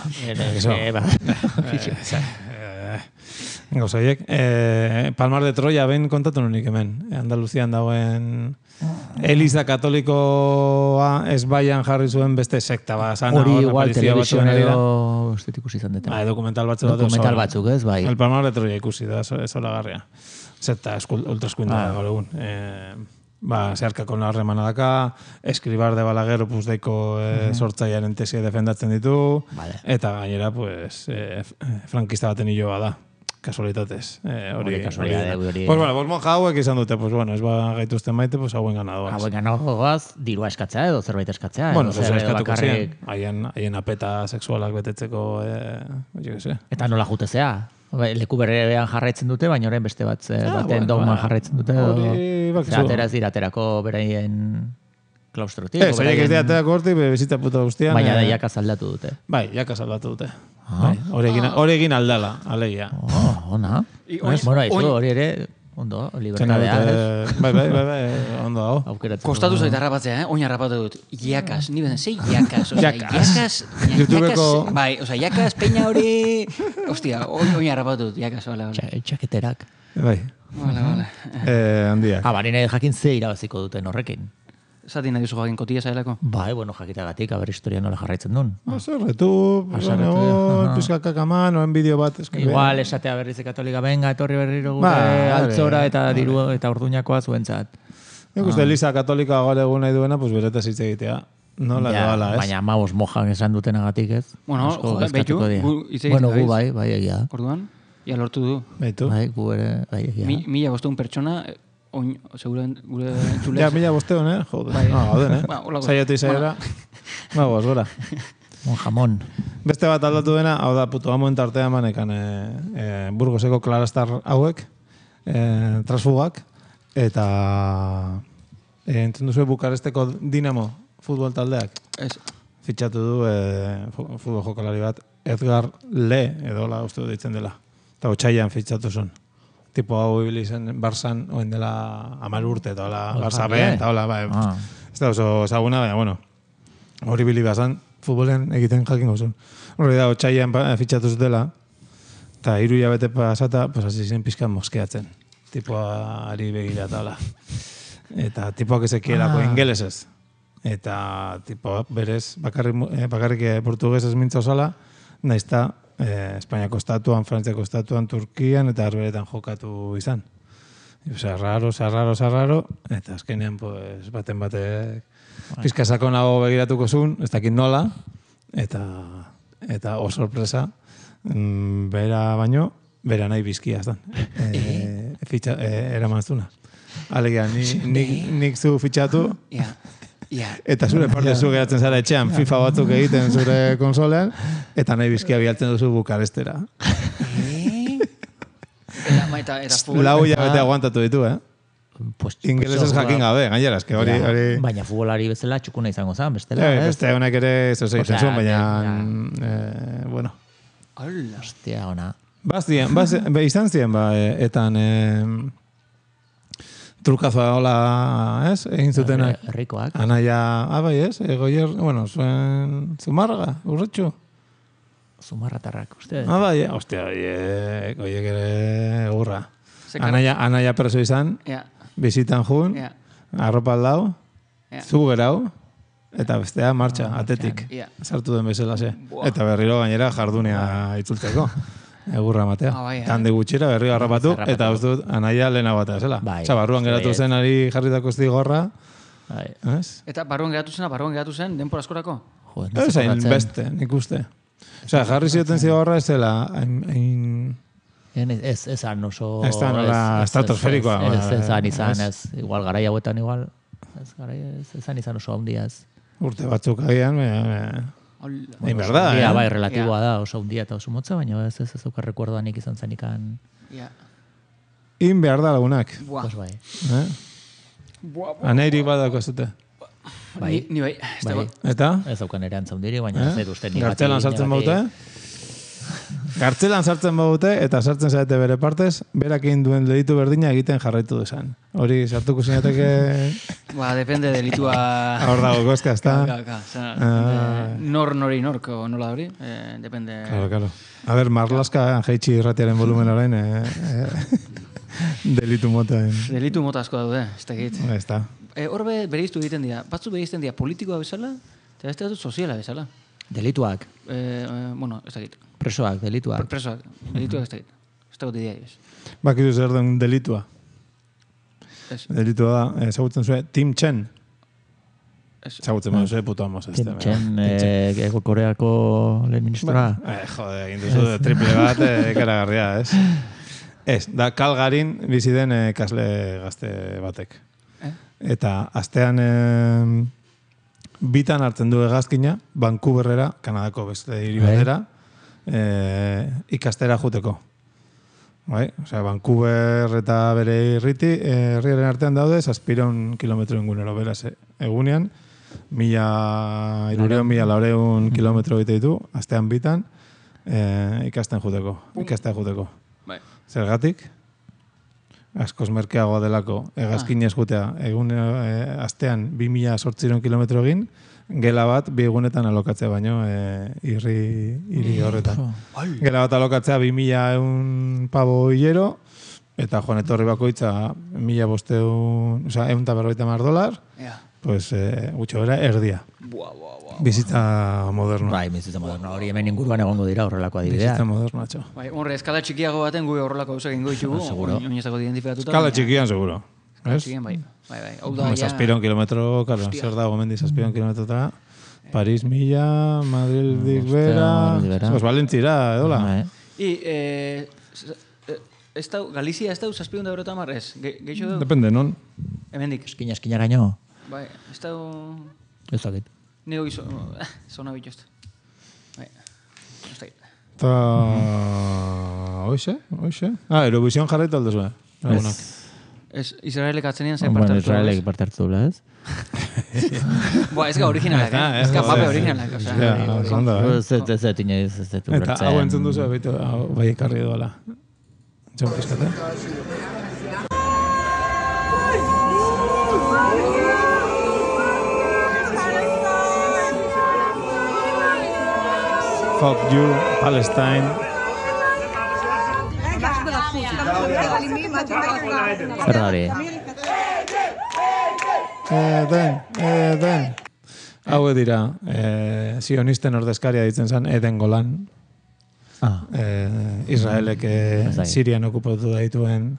Speaker 3: Gauza horiek. Palmar de Troya, ben kontatu nunik hemen. Andaluzian dagoen... Eliza Katolikoa ez baian jarri zuen beste sekta ba, sana,
Speaker 2: hori igual telebizioan edo estetik ikusi izan dute.
Speaker 3: Ba, dokumental batzuk bat.
Speaker 2: Dokumental batzuk, ez, bai.
Speaker 3: El Palmar de Troya ikusi da, ez olagarria. Sekta, ultraskuinda ah. gaur egun. Eh, ba, zeharkako narremana daka, Eskribar de Balaguer opus deiko eh, uh-huh. sortzaiaren tesia defendatzen ditu, vale. Eta gainera, pues, eh, frankista baten hiloa da. Kasualitatez. Eh, hori,
Speaker 2: kasualitate, hori.
Speaker 3: Pues bueno, pues monja hauek izan dute, pues bueno, ez ba gaituzten maite, pues hauen ganadoaz.
Speaker 2: Hauen ganadoaz, dirua eskatzea edo zerbait eskatzea.
Speaker 3: Bueno, zer eskatuko ziren. Haien, haien apeta sexualak betetzeko, eh, jo que sé.
Speaker 2: Eta nola jutezea? Leku berrean jarraitzen dute, baina orain beste bat, ah, baten bueno, dogman ba, jarraitzen dute. Hori, bakizu. Atera ez dira aterako beraien klaustrotik.
Speaker 3: Ez, horiek ez dira aterako hortik, bizita puta guztian.
Speaker 2: Baina da jakaz aldatu dute.
Speaker 3: Bai, jakaz aldatu dute. Ah. Hori bai, egin aldala, alegia.
Speaker 2: Oh, ona. Bueno, haizu, hori ere, ondo, libertadea.
Speaker 3: Bai, bai, bai, bai, ondo hau.
Speaker 4: Kostatu zaita harrapatzea, eh? Oin harrapatu dut. Iakas, ni beden, zei iakas. Iakas, iakas, bai, oza, iakas, peña hori... Ostia, oin harrapatu dut, iakas, bale, bale.
Speaker 2: Txaketerak.
Speaker 3: Bai.
Speaker 4: Bale, bale.
Speaker 3: Eh, handiak.
Speaker 2: Ah, barine jakin ze irabaziko duten horrekin.
Speaker 4: Zati nahi duzu jakin kotila zailako?
Speaker 2: Bai, bueno, jakitagatik, haber historia nola jarraitzen duen.
Speaker 3: Azerretu, pizkakak aman, oen bideo bat.
Speaker 2: Igual, esatea berriz katolika, benga, etorri berriro gure altzora eta diru eta orduñakoa zuentzat.
Speaker 3: Nik uste, Eliza katolika gaur egun nahi duena, pues bereta zitze egitea. No, la doala, ez?
Speaker 2: Baina maus mojan esan dutenagatik, ez?
Speaker 4: Bueno, behitu, gu izegiten
Speaker 2: Bueno, gu bai, bai egia.
Speaker 4: Orduan, ia lortu du.
Speaker 3: Behitu.
Speaker 2: Bai, gu ere, bai egia.
Speaker 4: Mila bosteun pertsona... Oin, segura, gure entzulez.
Speaker 3: Ja, mila bosteon, eh? Joder. Bai. Ah, gauden, eh? Ba, Zaiatu izaiera. Ba, goaz, gora.
Speaker 2: Un jamon.
Speaker 3: Beste bat aldatu dena, hau da, puto amoen tartea manekan e, e, Burgoseko Klaraztar hauek, e, transfugak, eta e, entzun duzu Bukaresteko Dinamo futbol taldeak.
Speaker 4: Ez.
Speaker 3: Fitxatu du e, futbol jokalari bat, Edgar Le, edo la uste ditzen dela. Eta otxaian fitxatu zuen. Tipo hau ibili zen Barzan, oen dela amar urte, eta hola, Barza ben, eta hola, bai. Ah. Ez da oso ezaguna, baina, bueno, hori bili bazan, futbolen egiten jakin gozun. Hori da, otxaian fitxatu zutela, eta hiru hilabete pasata, pues hasi zen pizkan moskeatzen. Tipoari begira eta hola. Eta tipoak ezekielako ah. ingelesez. Eta tipo berez bakarrik, bakarrik portugesez mintza osala, naizta eh, Espainiako estatuan, Frantziako estatuan, Turkian eta Arberetan jokatu izan. Osa, raro, sarraro, sarraro, eta azkenean pues, baten batek pizka sakonago begiratuko zuen, ez dakit nola, eta, eta o sorpresa, mm, bera baino, bera nahi bizkia aztan. E, fitxa, e, eraman zuna. Alegia, nik, nik, nik zu fitxatu, yeah. Yeah. Eta zure parte yeah. zu geratzen zara etxean yeah. FIFA batzuk egiten zure konsolean, eta nahi bizkia bialtzen duzu Bukarestera. Lau hilabete aguantatu ditu, eh? Pues, ingelesez pues, jakin gabe, gainera, eske hori...
Speaker 2: Ja, hori... Baina futbolari bezala txukuna izango zen, bestela,
Speaker 3: eh? Beste honek ere zer egiten zuen, baina... Eh, bueno.
Speaker 2: Hola. Hostia, ona.
Speaker 3: Baztien, baz, be, izan ziren, ba, etan... Eh, trukazoa hola, ez? Egin zutenak.
Speaker 2: Herrikoak.
Speaker 3: Anaia, abai, ez? Egoier, bueno, zuen Zumarraga, urretxu.
Speaker 2: Zumarratarrak, uste.
Speaker 3: Abai, hostia, egoiek ere egurra. Anaia, anaia preso izan, yeah. Bizitan jun, yeah. Arropa aldau, yeah. Zu gerau, eta bestea martxa, oh, atetik. Yeah. Sartu den bezala ze. Eta berriro gainera jardunea itzultzeko. Egurra matea. Oh, bai, Tande gutxira berriro harrapatu, eta uste dut anaia lehena batea zela. Bai, Osa, barruan geratu zen ari jarritako zigorra.
Speaker 4: Bai. Eta barruan geratu zena, barruan geratu zen, denpor askorako?
Speaker 3: Ez hain beste, nik uste. Osa, jarri zioten zigorra ez zela, hain...
Speaker 2: Ez ezan oso...
Speaker 3: Ez da nola estratosferikoa.
Speaker 2: Ez ezan izan, ez. Igual garai hauetan igual, ez ezan izan oso handia ez.
Speaker 3: Urte batzuk agian, Egin behar da,
Speaker 2: eh? Bai, relatiboa da, oso un dia eta oso motza, baina ez ez ezauka rekordoan nik izan zenikan.
Speaker 3: In behar da lagunak.
Speaker 2: Pues bai.
Speaker 3: Aneiri badako zute.
Speaker 4: Bai, ni bai.
Speaker 3: Eta?
Speaker 2: Ez aukan ere antzaundiri, baina ez dut uste ni bati.
Speaker 3: Gartzelan sartzen baute? Gartzelan sartzen baute, eta sartzen zaite bere partez, berak egin duen delitu berdina egiten jarraitu desan. Hori sartuko zinateke...
Speaker 4: Ba, depende delitua...
Speaker 3: Hor dago koska, ez da?
Speaker 4: Nor nori norko nola hori, depende...
Speaker 3: Claro, claro. A ber, marlaska jeitsi irratiaren volumen orain, delitu mota.
Speaker 4: Delitu mota asko daude, ez da egit.
Speaker 3: Ez da.
Speaker 4: Horbe bereiztu egiten dira, batzu bereizten dira politikoa bezala, eta beste dut soziala bezala.
Speaker 2: Delituak?
Speaker 4: Bueno, ez da egit.
Speaker 2: Presoak, delituak.
Speaker 4: Presoak, delituak ez da egit. Ez da goti diariz.
Speaker 3: Bakizu zer den delitua. Delitua da, ezagutzen zuen, Tim Chen. Ezagutzen zuen, puto amos.
Speaker 2: Tim Chen, ego Koreako lehen ministra.
Speaker 3: Jode, egin duzu, triple bat, ekaragarria, ez? Ez, da Calgaryn bizi den kasle gazte batek. Eta astean bitan hartzen du hegazkina, Vancouverrera, Kanadako beste hiri batera, ikastera juteko. Bai, osea, Vancouver eta bere irriti, herriaren artean daude, zazpireun kilometro ingunero, beraz, egunean, mila irureun, mila laureun kilometro bite ditu, astean bitan, ikasten juteko, ikastea juteko. Zergatik? Askoz merkeagoa delako, hegazkinez jutea, egun astean bi mila zortzireun kilometro egin, gela bat bi egunetan alokatzea baino irri hiri horretan. Gela bat alokatzea bi mila eun pabo hilero, eta joan etorri bakoitza mila bosteun, oza, eun eta berroita mar dolar, pues gutxo bera, erdia. Bizitza moderno.
Speaker 2: Bai, bizitza moderno. Hori hemen inguruan egongo dira horrelako adibidea.
Speaker 3: Bizitza moderno, atxo.
Speaker 4: Bai, horre, eskala txikiago baten gu horrelako gauzak ingo ditugu.
Speaker 2: Seguro.
Speaker 4: Oinezako identifikatuta.
Speaker 3: Eskala txikian, seguro.
Speaker 4: Eskala txikian, bai. Bai, bai. Hau da, ja...
Speaker 3: Zazpiron kilometro, karo, zer dago mendi zazpiron kilometrotara. Paris mila, Madrid bera... Pues Valentzira, edola.
Speaker 4: I, ez da, Galizia ez da, zazpiron da berota marrez? Geixo da?
Speaker 3: Depende, non?
Speaker 4: Hemendik.
Speaker 2: Eskina, eskina gaino.
Speaker 4: Bai, ez da...
Speaker 2: Ez da, git.
Speaker 4: Nego gizo, zona bitxost. Bai, ez da git.
Speaker 3: Eta... Oixe, oixe. Ah, Eurovision jarraitu aldo zuen.
Speaker 4: Ez, Israelek atzenian zen parte hartu.
Speaker 2: Bueno, Israelek parte hartu dula, ez?
Speaker 4: Boa, ez ga originalak, eh? Ez ga pape originalak, osea.
Speaker 2: Ez ez inoiz ez dut ulertzen.
Speaker 3: Eta hau entzun duzu, baitu, bai ekarri doala. Txon pizkate. Fuck you, Palestine.
Speaker 2: Zer da hori?
Speaker 3: Eden, Eden. Hau dira, eh, sionisten ordezkaria ditzen zen Eden Golan.
Speaker 2: Ah.
Speaker 3: Eh, Israelek eh, Sirian okupatu daituen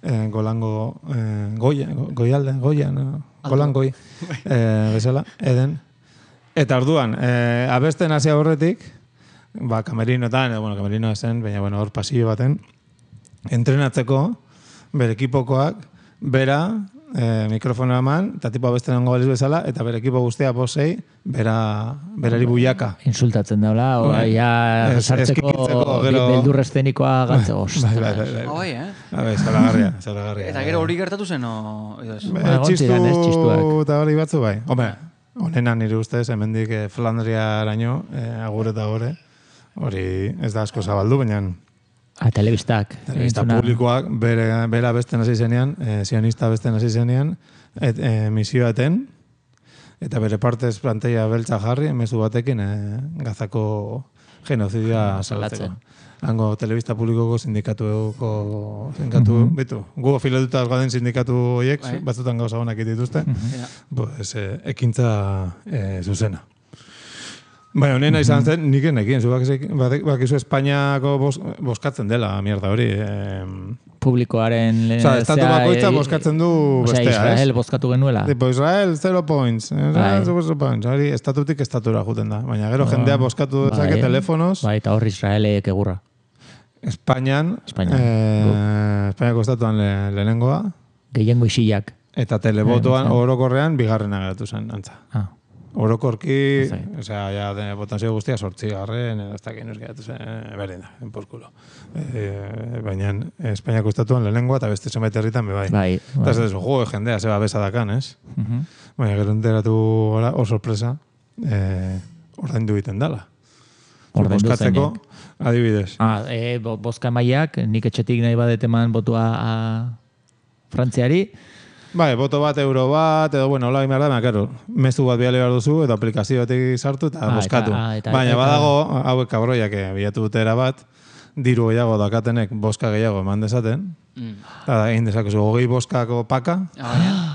Speaker 3: eh, Golango eh, Goia, Goialde, Goia, no? Golan Goi, eh, bezala, Eden. Eta orduan, eh, abesten hasi aurretik, ba, kamerinotan, bueno, kamerino zen, baina, bueno, hor pasillo baten, entrenatzeko, bere ekipokoak, bera, eh, mikrofono eman, eta tipo abesten ongo baliz bezala, eta bere ekipo guztia posei, bera, berari buiaka.
Speaker 2: Insultatzen daula, o, ja, sartzeko beldur estenikoa gatze gost.
Speaker 3: Bai, bai, bai.
Speaker 4: Oi, eh?
Speaker 3: Bai, zalagarria, zalagarria.
Speaker 4: Eta gero hori gertatu zen, o...
Speaker 3: Txistu eta hori batzu, bai. Hombre, honena nire ustez, hemendik eh, Flandriaraino, eh, agur eta gore, hori ez da asko zabaldu, baina...
Speaker 2: A telebistak.
Speaker 3: Telebista publikoak, bere, bera besten hasi zenean, eh, sionista besten hasi zenean, et, eh, misioa eten, eta bere partez planteia beltza jarri, mezu batekin eh, Gazako genozidia salatzeko. Hango telebista publikoko sindikatuko sindikatu, mm -hmm. betu, gu filetuta gauden sindikatu horiek, bai. Batzutan gauza honak dituzte, mm -hmm. pues, eh, ekintza eh, zuzena. Bai, honena izan zen, nik enekin, zu bakizu Espainiako bos, boskatzen dela, mierda hori. Eh,
Speaker 2: Publikoaren...
Speaker 3: Osa, estatu bakoitza boskatzen du bestea,
Speaker 2: ez? Osa, Israel boskatu genuela.
Speaker 3: Tipo, Israel, zero points. Israel, zero points. Hori, estatutik estatura juten da. Baina gero jendea boskatu dezake bai, telefonos.
Speaker 2: Bai, eta hor Israelek egurra.
Speaker 3: Espainian, eh, Espainiako estatuan le, lehenengoa.
Speaker 2: Gehiengo isiak.
Speaker 3: Eta telebotoan, eh, orokorrean, bigarrena geratu zen, antza. Ah. Orokorki, o sea, ya de potencia guztia sortzi garren, edo ez dakin euskeratu zen, berdin da, enporkulo. E, baina, Espainiako estatuan lehenengoa eta beste zenbait herritan be bai. Bai. Eta ez ez, jo, jendea, zeba besa dakan, ez? Uh -huh. Baina, gero enteratu gara, hor sorpresa, eh, ordaindu egiten dala. Boskatzeko, adibidez.
Speaker 2: Ah, e, boska emaiak, nik etxetik nahi badeteman botua a Frantziari,
Speaker 3: bai, boto bat, euro bat, edo, bueno, hola gimar da, karo, mezu bat biale behar duzu, eta aplikazio batik sartu eta ah, boskatu. Eta, eta, baina, eta, badago, hauek kabroiak bilatu dutera bat, diru gehiago dakatenek boska gehiago eman dezaten, mm. eta egin dezakezu, hogei boskako paka,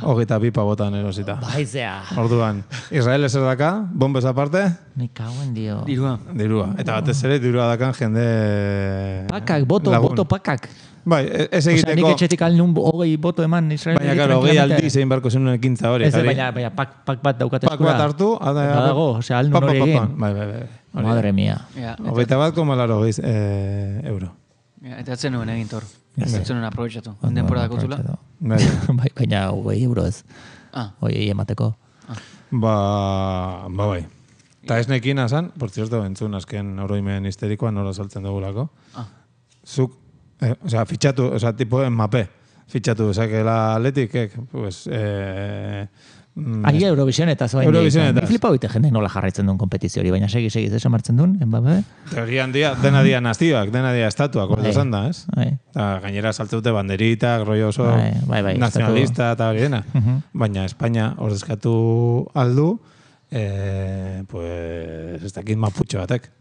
Speaker 3: hogeita pipa botan erosita.
Speaker 2: Baizea.
Speaker 3: Orduan, Israel ezer daka, bombez aparte,
Speaker 2: me cago en dio.
Speaker 3: Dirua. Dirua. Eta batez ere, dirua dakan jende...
Speaker 2: Pakak, boto, lagun. boto pakak.
Speaker 3: Bai, ez egiteko...
Speaker 2: Osa, nik etxetik alnun hogei boto eman Israel.
Speaker 3: Baina, karo, hogei aldi zein barko zenun ekintza hori.
Speaker 2: Ez, baina, baina, pak, pak bat daukate eskura.
Speaker 3: Pak bat hartu, ada...
Speaker 2: Badago, osea, alnun hori egin.
Speaker 3: Bai, bai, bai.
Speaker 2: Madre mia.
Speaker 3: Hogeita bat, koma laro hogei euro.
Speaker 4: Eta atzen nuen egin tor. Atzen nuen aprobetxatu. Onden pora dakotzula.
Speaker 2: Baina, hogei euro ez. Hogei emateko.
Speaker 3: Ba, ba, bai. Eta ez nekin azan, por cierto, entzun azken oroimen histerikoan nora saltzen dugulako. Zuk, Eh, o sea, fitxatu, o sea, tipo en mape. Fitxatu, o sea, que la Atletic, pues... Eh,
Speaker 2: Ahi Eurovision eta zoain.
Speaker 3: Eurovision eta.
Speaker 2: Ni flipa hoite jende nola jarraitzen duen kompetizio hori, baina segi, segi, zesan martzen duen, en Mbappé.
Speaker 3: Teorian dia, dena dia nazioak, dena dia estatuak, ordo zan da, ez? Eta gainera saltzeute banderitak, rollo oso
Speaker 2: bai, bai,
Speaker 3: nazionalista eta hori dena. Uh -huh. Baina Espainia ordezkatu aldu, eh, pues, ez dakit maputxo batek.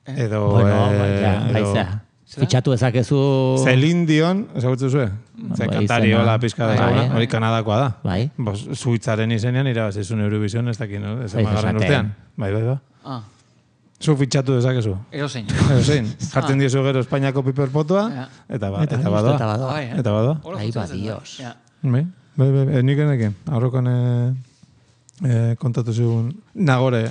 Speaker 3: Edo...
Speaker 2: Bueno, eh, ja, baizea. Fitxatu ezakezu...
Speaker 3: Celine Dion, ezagutzu zuen? Ze kantari hola pizka da, hori Kanadakoa da.
Speaker 2: Bai.
Speaker 3: Zuitzaren izenean irabazizun Eurovision, ez dakit, no? Ez emagarren urtean. Bai, bai, bai.
Speaker 4: Ah.
Speaker 3: Zu fitxatu dezakezu.
Speaker 4: Erozein.
Speaker 3: Erozein. Jartzen diezu gero Espainiako piperpotua, eta badoa. Eta
Speaker 2: badoa.
Speaker 3: Eta badoa.
Speaker 2: Ahi ba, dios.
Speaker 3: Bai, bai, bai, nik enekin. Aurrokan kontatu zigun Nagore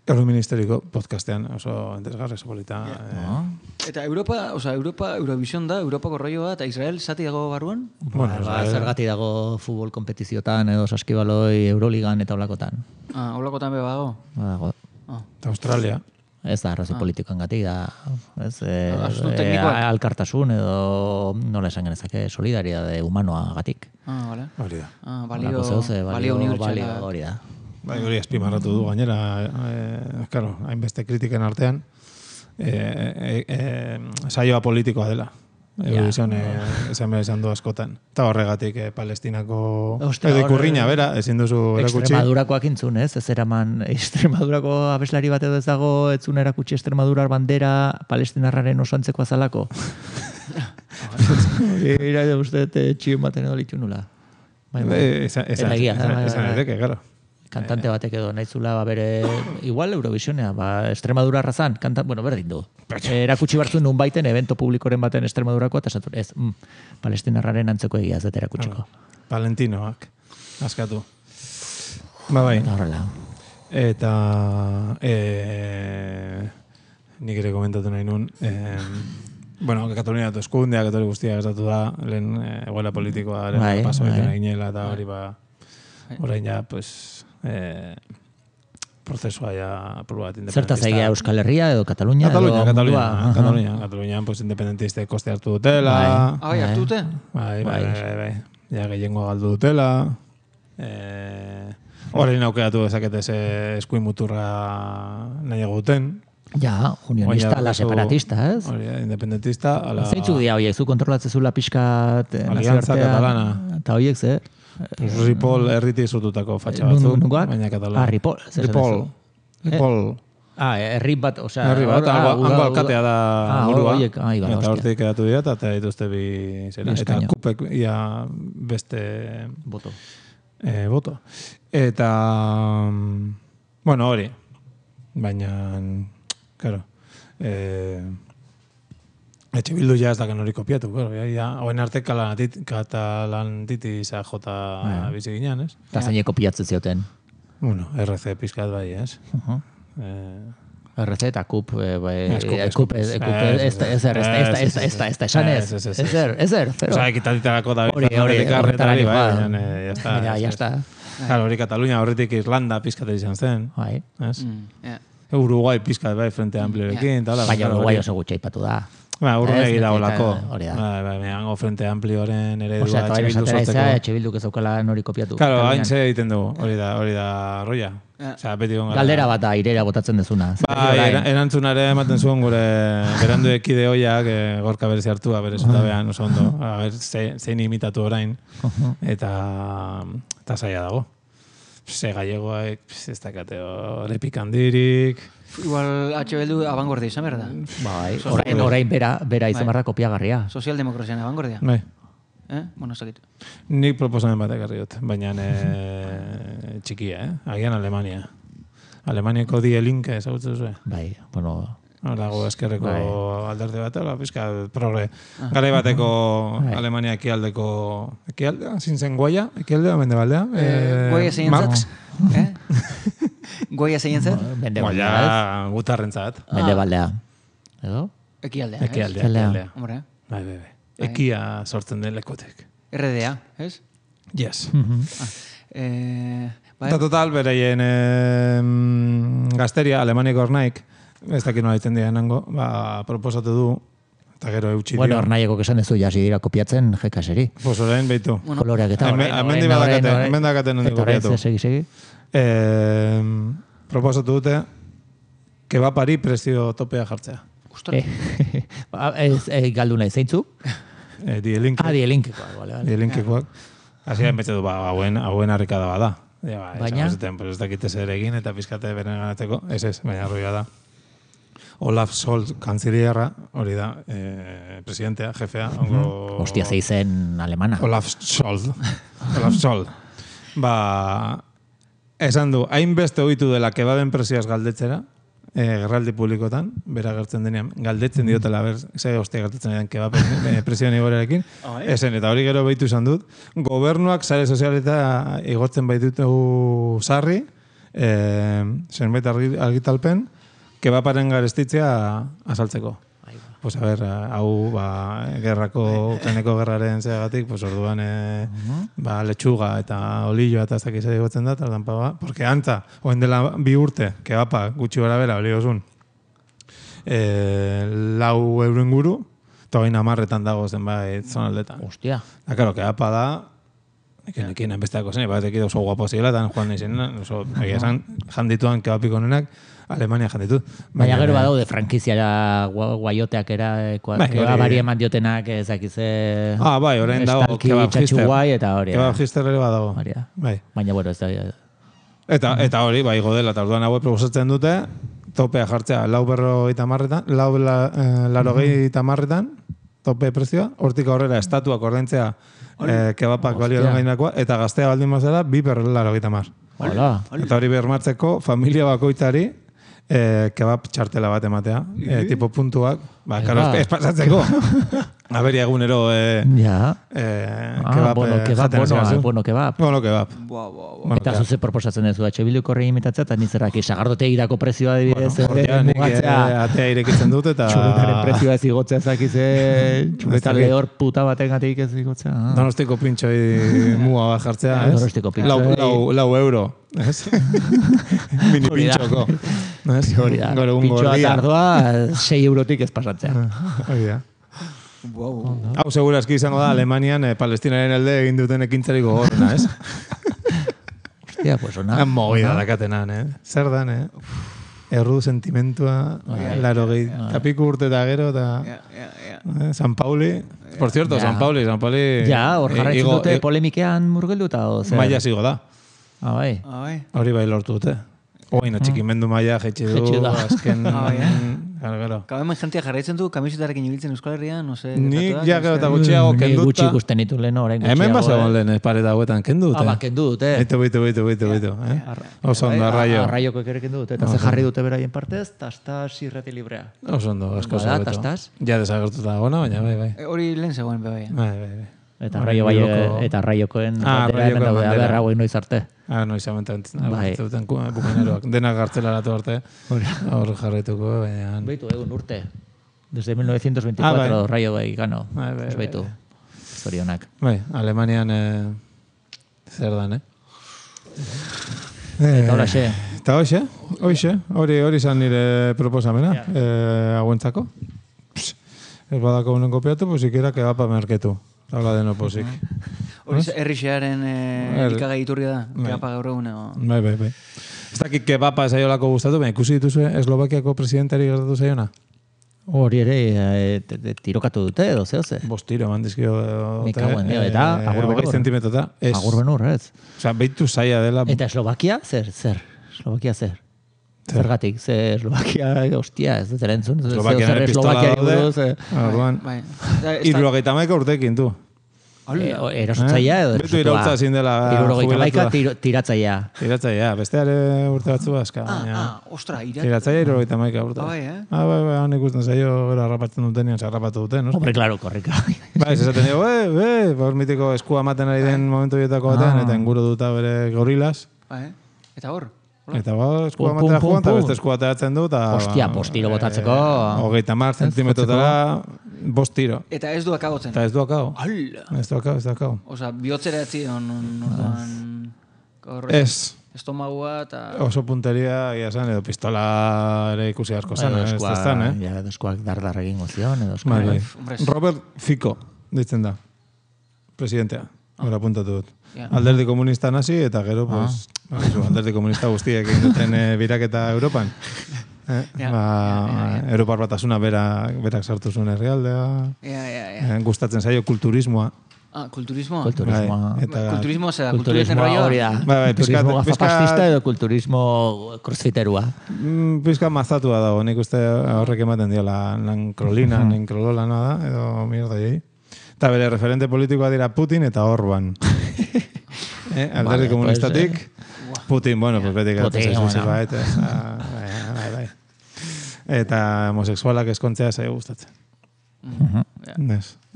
Speaker 3: Euroministeriko podcastean oso entesgarra, oso polita.
Speaker 4: Yeah. Eh. Eta Europa, o sea, Europa, Eurovision da, Europako rolloa, eta Israel zati dago barruan?
Speaker 2: Bueno, ba, zergati dago futbol kompetiziotan, edo saskibaloi, Euroligan eta olakotan.
Speaker 4: Ah, olakotan beba dago?
Speaker 2: Ba dago.
Speaker 3: Ah. Eta Australia.
Speaker 2: Ez da, arrazi ah. politikoan gati, da ez? E, e, alkartasun edo nola esan genezake solidaridade humanoagatik.
Speaker 4: Ah, vale.
Speaker 3: Hori da.
Speaker 4: Ah, balio, balio unibertsala.
Speaker 2: Hori da.
Speaker 3: Bai, hori azpimarratu du gainera, eh, claro, hainbeste kritiken artean, eh, eh, eh, saioa politikoa dela. Eurovision esan behar izan du askotan. Eta horregatik eh, Palestinako edo ikurriña, bera, ezin duzu erakutsi.
Speaker 2: Extremadurakoak intzun, ez? Ez eraman Extremadurako abeslari bat edo ez dago, etzun erakutsi Extremadurar bandera Palestinarraren oso antzeko azalako. Ira edo uste txion baten edo litxu nula.
Speaker 3: Esan edeke, gara.
Speaker 2: Kantante batek edo nahizula bere igual Eurovisionea, ba Extremadura razan, kanta, bueno, berdin du. Erakutsi bartzun nun baiten evento publikoren baten Extremadurako eta esatu ez, mm, Palestinarraren antzeko egia ez dut erakutsiko.
Speaker 3: Valentinoak, askatu. Ba bai.
Speaker 2: Horrela.
Speaker 3: Eta e, nik ere komentatu nahi nun, e, bueno, Katalunia dut eskundea, Katalunia guztia gertatu da, lehen egoela politikoa, lehen paso egiten eginela eta hori ba, orain ja, pues, Eh, prozesua ja proba bat independentista.
Speaker 2: Zertaz egia Euskal Herria edo Katalunia?
Speaker 3: Katalunia, Katalunia. Katalunia, Katalunia, pues, independentista koste hartu dutela.
Speaker 4: Ah, bai, hartu dute?
Speaker 3: Bai, bai, bai, bai. Ja, gehiengo galdu dutela. Horrein aukeratu dezakete ze eskuin muturra nahiago duten.
Speaker 2: Ja, unionista, la separatista, ez?
Speaker 3: Hori, independentista.
Speaker 2: Zeintzuk dia horiek, zu kontrolatzezula pixkat
Speaker 3: Alianza Catalana.
Speaker 2: Eta horiek, ze?
Speaker 3: Ripoll erriti zututako fatxa batzuk, baina Katalunia.
Speaker 2: Ah, Ripoll.
Speaker 3: Ripoll. Ripoll.
Speaker 2: Ah, herri bat, osea...
Speaker 3: Herri bat, hango alkatea da burua.
Speaker 2: Ah, iba,
Speaker 3: eta hortik edatu dira, eta dituzte bi... Eta kupek ia beste...
Speaker 2: Boto.
Speaker 3: Boto. Eta... Bueno, hori. Baina... Claro. Etxe bildu ja ez daken hori kopiatu, hoen arte katalantitis A J bizi ginean, ez?
Speaker 2: Eta zaine kopiatzen zioten?
Speaker 3: Bueno, R C pizkat bai, ez?
Speaker 2: R C eta Kup, Kup, ez er, ez da, esan ez, ez er, ez er, pero...
Speaker 3: Osa, ekitatitarako da,
Speaker 2: hori, hori, horretara
Speaker 3: bai, ya
Speaker 2: ya está.
Speaker 3: Claro, hori Katalunia horretik Irlanda pizkat izan zen,
Speaker 2: bai.
Speaker 3: Uruguai pizkat bai, Frente Ampliorekin,
Speaker 2: baina Uruguai oso gutxe ipatu da.
Speaker 3: Ba, urrun egira olako. Ba, ba, hango Frente Amplioren eredua etxe bildu sortzeko.
Speaker 2: Etxe bildu kezokala nori kopiatu.
Speaker 3: Claro, hain ze egiten dugu, hori da, hori da roia. Osea, beti gonga.
Speaker 2: Galdera bat da, irera botatzen dezuna.
Speaker 3: Ba, erantzunare ematen zuen gure berandu ekide hoiak, gorka berezi hartua, bere zutabean oso ondo. A ber, zein imitatu orain. Eta, eta zaila dago. Ze gallegoak, ez dakate horrepik handirik.
Speaker 4: Igual H B du abanguardia izan berda.
Speaker 2: Bai, orain, orain bera, bera izan berda kopiagarria.
Speaker 4: Sozialdemokrazian abanguardia.
Speaker 3: Bai.
Speaker 4: Eh? Bueno, ez dakit.
Speaker 3: Nik proposamen bat ekarri dut, baina e, txikia, eh? Agian Alemania. Alemaniako Die Linke, ezagutzen duzu?
Speaker 2: Bai, bueno...
Speaker 3: Dago eskerreko bai. Alderde bat, hola, pizka, progre. Ah. Garai bateko bai. Alemania ekialdeko... Ekialdea, zintzen Goia, ekialdea, mendebaldea.
Speaker 4: Eh, Goia zein
Speaker 3: Marx.
Speaker 4: Eh? Goia zein zat?
Speaker 3: Goia gutarrentzat.
Speaker 2: Mendebaldea. Edo?
Speaker 4: Ekialdea, ez?
Speaker 3: Ekialdea, ekialdea.
Speaker 4: Hombre.
Speaker 3: Bai, bai, bai. Ekia sortzen den lekotek.
Speaker 4: R D A, ez?
Speaker 3: Yes.
Speaker 4: Ah. Eh, bai.
Speaker 3: Eta total, bereien eh, gazteria, Alemaniako ornaik, ez dakit nola ditzen dira nango, ba, proposatu du, eta gero eutxi dio.
Speaker 2: Bueno, ornaieko kesan dezu, jasi dira kopiatzen jekaseri.
Speaker 3: Pues orain behitu.
Speaker 2: Bueno, koloreak eta
Speaker 3: orain, orain, orain, orain. Hemen dakaten nondi kopiatu.
Speaker 2: Eta segi, segi.
Speaker 3: Eh, proposatu dute, kebapari prezio topea jartzea.
Speaker 2: Eh, ez, eh, galdu nahi, zeintzu?
Speaker 3: Eh, Dielinke.
Speaker 2: Ah, Dielinkekoak, vale, vale.
Speaker 3: Dielinkekoak. Hasi da, betxe du, ba, hauen, hauen harrikada bada. Ja, ba,
Speaker 2: baina?
Speaker 3: Ez dakite zer egin eta pizkate beren ganatzeko. Ez ez, baina arroia da. Olaf Scholz kanzilierra, hori da, eh, presidentea, jefea. Ongo...
Speaker 2: Hostia, zeizen alemana.
Speaker 3: Olaf Scholz. Olaf Scholz. Ba, esan du, hainbeste ohitu dela kebaben presioaz galdetzera, eh, gerraldi publikotan, bera gertzen denean, galdetzen diotela, ber, ze hostia gertzen denean kebaben presioan igorerekin. Esen, eta hori gero behitu izan dut. Gobernuak sare sozialeta igortzen baitutu sarri, eh, zenbait argitalpen, kebaparen garestitzea azaltzeko. Pues a ver, hau, ba, gerrako, Ukraineko gerraren zeagatik, pues orduan, e, ba, letxuga eta olilloa eta ez dakiz egotzen da, tardan pa, ba, porque antza, oen dela bi urte, kebapa, gutxi gara bera, oli osun, lau euro inguru, eta hogein amarretan dago zenbait zonaldetan.
Speaker 2: Hostia.
Speaker 3: Da, karo, keapa da, ekin ekin enbesteako zen, bat ekid oso guapo zirela, eta joan nizien, oso, egia esan, jandituan kebapiko nenak, Alemania janditut.
Speaker 2: Baina gero badaude frankiziara guaioteak era, kebabari eman diotenak ezakize...
Speaker 3: Ah, bai, orain dago kebab hister.
Speaker 2: Eta hori.
Speaker 3: Kebab hister ere badago.
Speaker 2: Bai. Baina, bueno, ez da...
Speaker 3: Eta, eta hori, bai, godela, eta orduan hauek proposatzen dute, topea jartzea, lau berro eta marretan, lau la, eh, laro gehi eta marretan, tope prezioa, hortik aurrera estatuak ordaintzea eh, kebapak balio den gainakoa, eta gaztea baldin mazera, bi berro laro gehi eta mar. Eta hori bermatzeko, familia bakoitzari, eh, kebab txartela bat ematea, eh, tipo puntuak, ba, karo, ez pasatzeko. Aberia egunero eh,
Speaker 2: ja.
Speaker 3: eh,
Speaker 2: ah,
Speaker 3: kebab
Speaker 2: bueno,
Speaker 3: eh,
Speaker 2: kebab,
Speaker 3: jaten
Speaker 2: bueno, bueno, kebab.
Speaker 3: Bueno, kebab.
Speaker 4: Boa, boa, boa.
Speaker 2: Eta zuze proposatzen duzu, H Bilduko horri imitatzea, eta nizerrak sagardotegirako prezioa adibidez.
Speaker 3: Bueno, hortia, nik atea irekitzen dut, eta...
Speaker 2: Txuletaren prezioa ez igotzea zakize, txuleta lehor puta baten gatik ez igotzea. Ah.
Speaker 3: Donostiko pintxoi mua bat jartzea, ez?
Speaker 2: Donostiko pintxoi.
Speaker 3: Lau, lau, lau euro, ez? Mini pintxoko.
Speaker 2: Hori da, pintxoa tardoa, sei eurotik ez pasatzea.
Speaker 3: Hori da. Hau segurazki izango da Alemanian eh, Palestinaren elde egin duten ekintzari gogorrena, ez?
Speaker 2: Hostia, pues ona.
Speaker 3: Movida dakatenan, eh? Zer dan, eh? Erru sentimentua, laro gehi, tapiku urte eta gero, eta San Pauli. Por cierto, San Pauli, San Pauli...
Speaker 2: Ja, hor jarraitzen dute polemikean murgelduta, o zer?
Speaker 3: Maia zigo da.
Speaker 2: Ah, bai.
Speaker 3: Hori bai lortu dute. Oina, txikimendu maia, jetxe du, azken... Gero, gero.
Speaker 4: Gau hemen jentia jarraitzen du, kamisetarekin ibiltzen Euskal Herrian, no sé...
Speaker 3: Nik ja gero eta gutxiago kenduta...
Speaker 2: Ni gutxi ikusten ditu lehen orain gutxiago.
Speaker 3: Hemen basegon lehen ez pareta hauetan, kendu dute.
Speaker 2: Ah, ba, kendu dute.
Speaker 3: Bitu, bitu, bitu, bitu, bitu. Oso ondo, arraio.
Speaker 2: Arraioko ere kendu dute, eta ze jarri dute beraien partez, tastas irrati librea.
Speaker 3: Oso ondo, asko
Speaker 2: zegoeto. Bada, tastas?
Speaker 3: Ja desagertuta dagoena, baina bai, bai.
Speaker 4: Hori lehen zegoen, bai,
Speaker 3: bai. Bai, bai.
Speaker 2: Eta arraio bai, eta arraiokoen bandera, aber hau noiz arte.
Speaker 3: Ah, noiz amentan, zuten bukaneroak. Denak gartzelaratu arte, hor jarraituko, baina...
Speaker 2: Beitu, egun urte. Desde mil novecientos veinticuatro, ah, raio bai gano.
Speaker 3: Bai, bai,
Speaker 2: beitu. Zorionak.
Speaker 3: Bai, Alemanian zer dan, eh?
Speaker 2: Eta hola xe.
Speaker 3: Eta hoxe, hoxe, hori hori izan nire proposamena, hauentzako. Ez badako unen kopiatu, pues ikera kebapa merketu. Habla de no posik.
Speaker 4: Hori errixearen elikagai iturria da, kebapa gaur egune.
Speaker 3: Bai, bai, bai. Ez dakik kebapa zaiolako gustatu, baina ikusi dituzu Eslovakiako presidentari gertatu zaiona?
Speaker 2: Hori ere, tirokatu dute edo, zeo ze?
Speaker 3: Bost tiro, eman dizkio.
Speaker 2: Mikauen, eta agur benur.
Speaker 3: Zentimetrota.
Speaker 2: Agur benur, ez?
Speaker 3: Osa, behitu zaila dela.
Speaker 2: Eta Eslovakia, zer, zer? Eslovakia zer? Zergatik, ze Eslovakia, hostia, ez dut erentzun.
Speaker 3: Eslovakia nire pistola daude. Arduan, irrogeita maika urtekin, tu.
Speaker 2: Erasotzaia edo?
Speaker 3: Betu irautza zin dela
Speaker 2: jubilatua. Tiratzaia.
Speaker 3: Tiratzaia, besteare urte batzu bazka.
Speaker 4: Ah, ostra, irat...
Speaker 3: Tiratzaia irrogeita maika urte.
Speaker 4: Ah, bai, eh?
Speaker 3: Ah, bai, bai, han ikusten zaio, gero harrapatzen dutenian, harrapatu duten, no?
Speaker 2: Hombre, claro, korrika.
Speaker 3: Bai, ez esaten dugu, eh, eh, hor mitiko eskua maten ari den momentu bietako batean, eta inguru duta bere gorilas.
Speaker 4: Bai, eta hor?
Speaker 3: Eta ba, eskua matera joan, eta beste eskua ateratzen du, eta...
Speaker 2: Hostia, bost tiro botatzeko...
Speaker 3: Hogeita mar zentimetrotara, bost tiro.
Speaker 4: Eta ez du akagotzen.
Speaker 3: Eta ez du akao.
Speaker 4: Hala!
Speaker 3: Ez du akao, ez du akao.
Speaker 4: Osa, bihotzera etzi, orduan...
Speaker 3: Ez.
Speaker 4: Estomagua eta...
Speaker 3: Oso punteria, ia zan, edo pistola ere ikusi asko zan, ez da zan, eh?
Speaker 2: Ja, edo eskuak dardar egingo zion, edo eskuak...
Speaker 3: Robert Fico, ditzen da, presidentea. Hora puntatu dut. Alderdi komunista nazi, eta gero, pues, alderdi komunista guztiek egin duten biraketa Europan. Europar batasuna berak sartu zuen herrialdea. Gustatzen zaio kulturismoa.
Speaker 4: Ah, kulturismoa?
Speaker 2: Kulturismoa.
Speaker 4: Kulturismo, zera, kulturisten rolloa?
Speaker 2: Kulturismo gafapastista edo kulturismo crossfiterua.
Speaker 3: Pizka mazatua dago, nik uste horrek ematen diola nankrolina, nankrolola nada, edo mierda jai. Eta bere referente politikoa dira Putin eta Orban. eh, alderdi komunistatik, Putin, bueno, pues beti gertatzen zuzi bait. Bai, bai. Eta homosexualak eskontzea zaio gustatzen.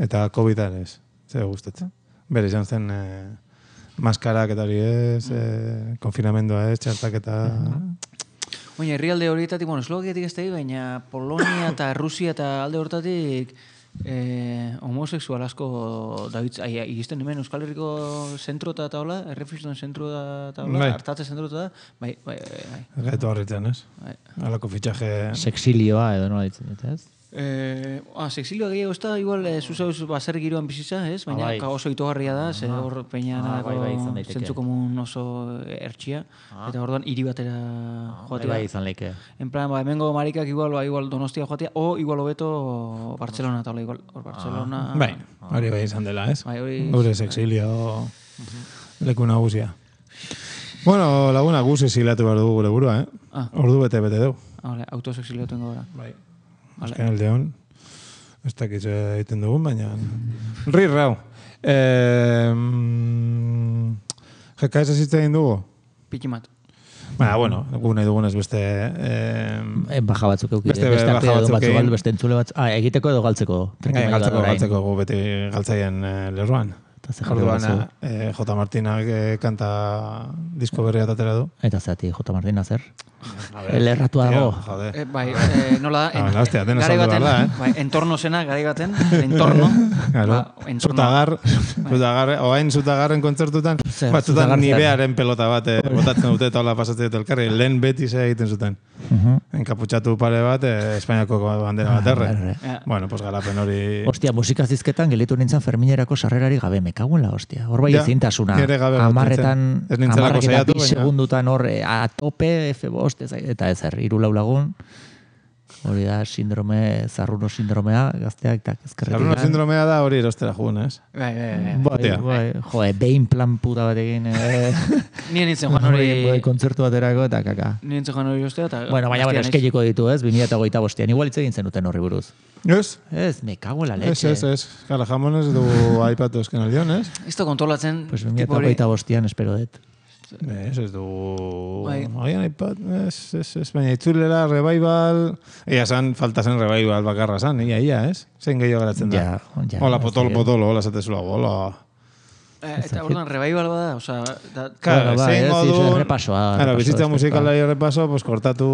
Speaker 3: Eta COVID-a ez, zaio gustatzen. Bere izan zen maskarak eta hori ez, konfinamendua ez, txartak eta...
Speaker 4: Oina, herrialde horietatik, bueno, Eslovakiatik ez da, baina Polonia eta Rusia eta alde hortatik... Eh, homosexual asko David, egizten hemen Euskal Herriko zentro eta taula, errefizioen zentro eta taula, hartatze zentro eta bai, bai, bai.
Speaker 3: Gaitu horritzen, ez? Alako fitxaje...
Speaker 2: Sexilioa edo nola ditzen dut, ez?
Speaker 4: Eh, ah, sexilioa gehiago ez da, igual, eh, zuzauz baser giroan bizitza, ez? Baina ah, bai. Oso itogarria da, ze hor peina ah, bai, bai, zentzu komun oso ertxia, ah. Eta orduan hiri batera ah, joatea.
Speaker 2: Bai, izan leike.
Speaker 4: En plan, ba, hemengo marikak igual, ba, igual Donostia joatea, o igual hobeto Barcelona, taula, igual, hor Barcelona...
Speaker 3: Ah. Bai, hori bai izan dela, ez?
Speaker 4: Bai, hori...
Speaker 3: Gure sexilio leku nagusia. Bueno, laguna guzi zilatu behar dugu gure burua, eh? Ah. Ordu bete-bete dugu.
Speaker 4: Ah, vale, autosexilio tengo gora.
Speaker 3: Bai. Azken aldeon, ez dakiz egiten dugun, baina... Ri rau. Eh, Jeka ez egin dugu?
Speaker 4: Pikimat.
Speaker 3: Baina, bueno, gu nahi dugunez beste... Eh,
Speaker 2: baja batzuk eukire. Beste, beste baja batzuk egin. Beste entzule batzuk. Ah, egiteko edo galtzeko?
Speaker 3: Eh, galtzeko, galtzeko gu beti galtzaien eh, lerroan. Orduan, eh, J. Martinak eh, kanta disko berria tatera du.
Speaker 2: Eta zati, J. Martina zer? Lerratua dago.
Speaker 4: Eh, bai, eh, nola da, en,
Speaker 3: ah, hostia, garai baten, da, eh?
Speaker 4: Bai, entorno zena, garai baten, entorno.
Speaker 3: Claro, ba, zutagar, zutagar, oain zutagarren kontzertutan, batzutan nibearen pelota bat, eh, botatzen dute eta hola pasatzen dut elkarri, lehen beti ze egiten zuten. Uh-huh. Enkaputxatu pare bat, eh, Espainiako bandera bat erre. Ah, bueno, pues garapen hori...
Speaker 2: Hostia, musika zizketan gelitu nintzen Ferminerako sarrerari gabe, me cago en la hostia. Hor bai ezintasuna. Amarretan, amarrak eta bi segundutan hor, a tope, F bost, eta ez er, iru lau lagun. Hori da, sindrome, zarruno sindromea, gazteak eta ezkerretik.
Speaker 3: Zarruno sindromea da hori erostera jugun, ez?
Speaker 4: Bai, bai,
Speaker 2: bai. bai, jo, behin plan puta batekin. Eh.
Speaker 4: Nien nintzen joan hori...
Speaker 2: Kontzertu baterako eta kaka.
Speaker 4: Nien nintzen joan hori erostea eta...
Speaker 2: Bueno, baina baina eskeliko ditu, ez? bi mila hogeita bostean. Igual hitz egin zenuten horri buruz.
Speaker 3: Ez?
Speaker 2: Ez, me cago en la leche.
Speaker 3: Ez, ez, ez. Kala, jamonez du aipatu esken aldion, ez?
Speaker 4: Isto kontrolatzen...
Speaker 2: Pues bi mila hogeita bostean espero dut.
Speaker 3: Ez, ez du... Oian aipat, ez, ez, ez, baina itzulera, revival... Ia zan, falta zen revival bakarra zan, ia, ia, ez? Zein gehiago geratzen da.
Speaker 2: Ja, ja.
Speaker 3: Hola, potolo, potolo, hola, zatezula, hola.
Speaker 4: Eh, eta orduan, revival bada, oza... Da...
Speaker 3: Claro,
Speaker 2: ba,
Speaker 3: zein modu...
Speaker 2: Repasoa.
Speaker 3: Claro, bizitza musikalari repaso, pues kortatu...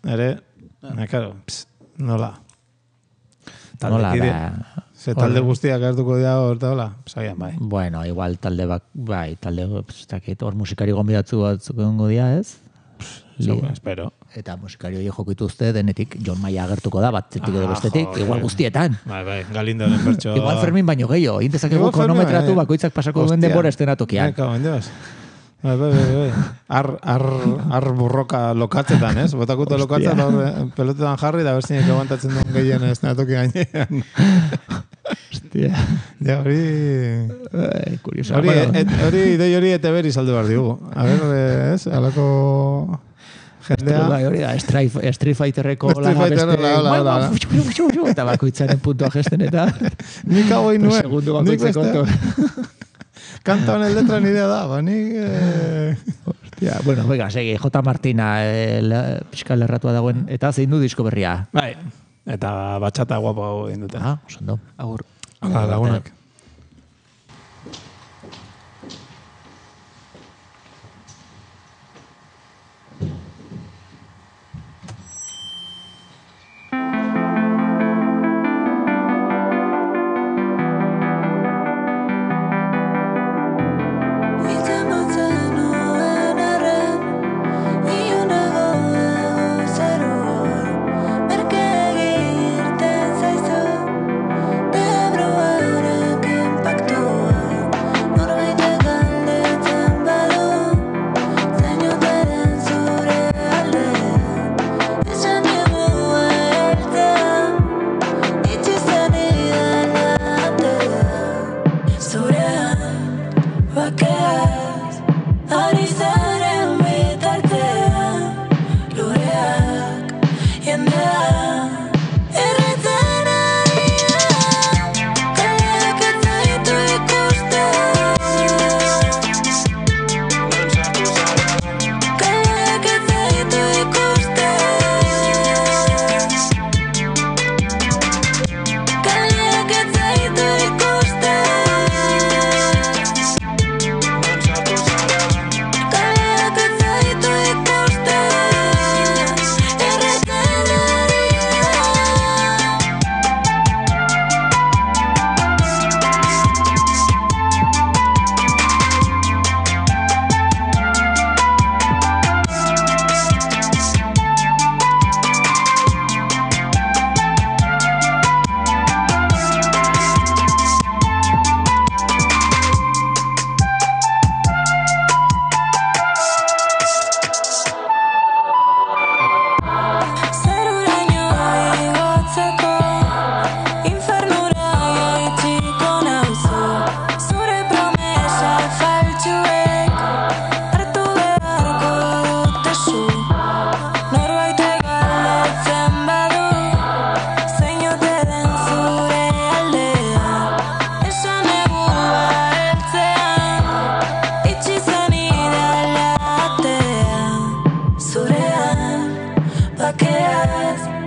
Speaker 3: Ere, ah. Claro, pss, nola.
Speaker 2: Nola, da...
Speaker 3: Ze talde guztiak hartuko dira hor, eta hola, zaian, bai.
Speaker 2: Bueno, igual talde bak, bai, talde, hor musikari gonbidatzu batzuk egongo dira, ez?
Speaker 3: Segura, espero.
Speaker 2: Eta musikari hori joko ituzte, denetik, John Maia agertuko da, batzetik edo bestetik, igual guztietan.
Speaker 3: Bai, bai, Galindoren pertso...
Speaker 2: Igual Fermin baino gehiago, intezakegu kronometratu bakoitzak pasako duen denbora estenatokian.
Speaker 3: Eka, bendeaz. Bai, bai, bai, ar, ar, ar burroka lokatzetan, ez? Botakuto lokatzen, pelotetan jarri, da berzinek aguantatzen duen gehien estenatoki gainean.
Speaker 2: Hostia.
Speaker 3: Ja, hori...
Speaker 2: Kuriosa.
Speaker 3: Hori, hori, idei hori ete beri saldu behar digu. A ver, ez? Alako... Jendea...
Speaker 2: Hori da, Street Fighterreko laga beste... Eta bakoitzaren puntua gesten eta...
Speaker 3: Nik hau nuen.
Speaker 2: Segundu bakoitzeko.
Speaker 3: Kanta honen letra nidea da, ba, nik... Eh...
Speaker 2: Hostia, bueno, venga, segi, J. Martina, eh, pixka lerratua dagoen, eta zein du disko berria?
Speaker 3: Bai, eta batxata guapo hau egin dute.
Speaker 2: Ah, osondo.
Speaker 4: Agur.
Speaker 3: Hala, lagunak.
Speaker 7: Merke egiten zaizu, debruaren bakeaz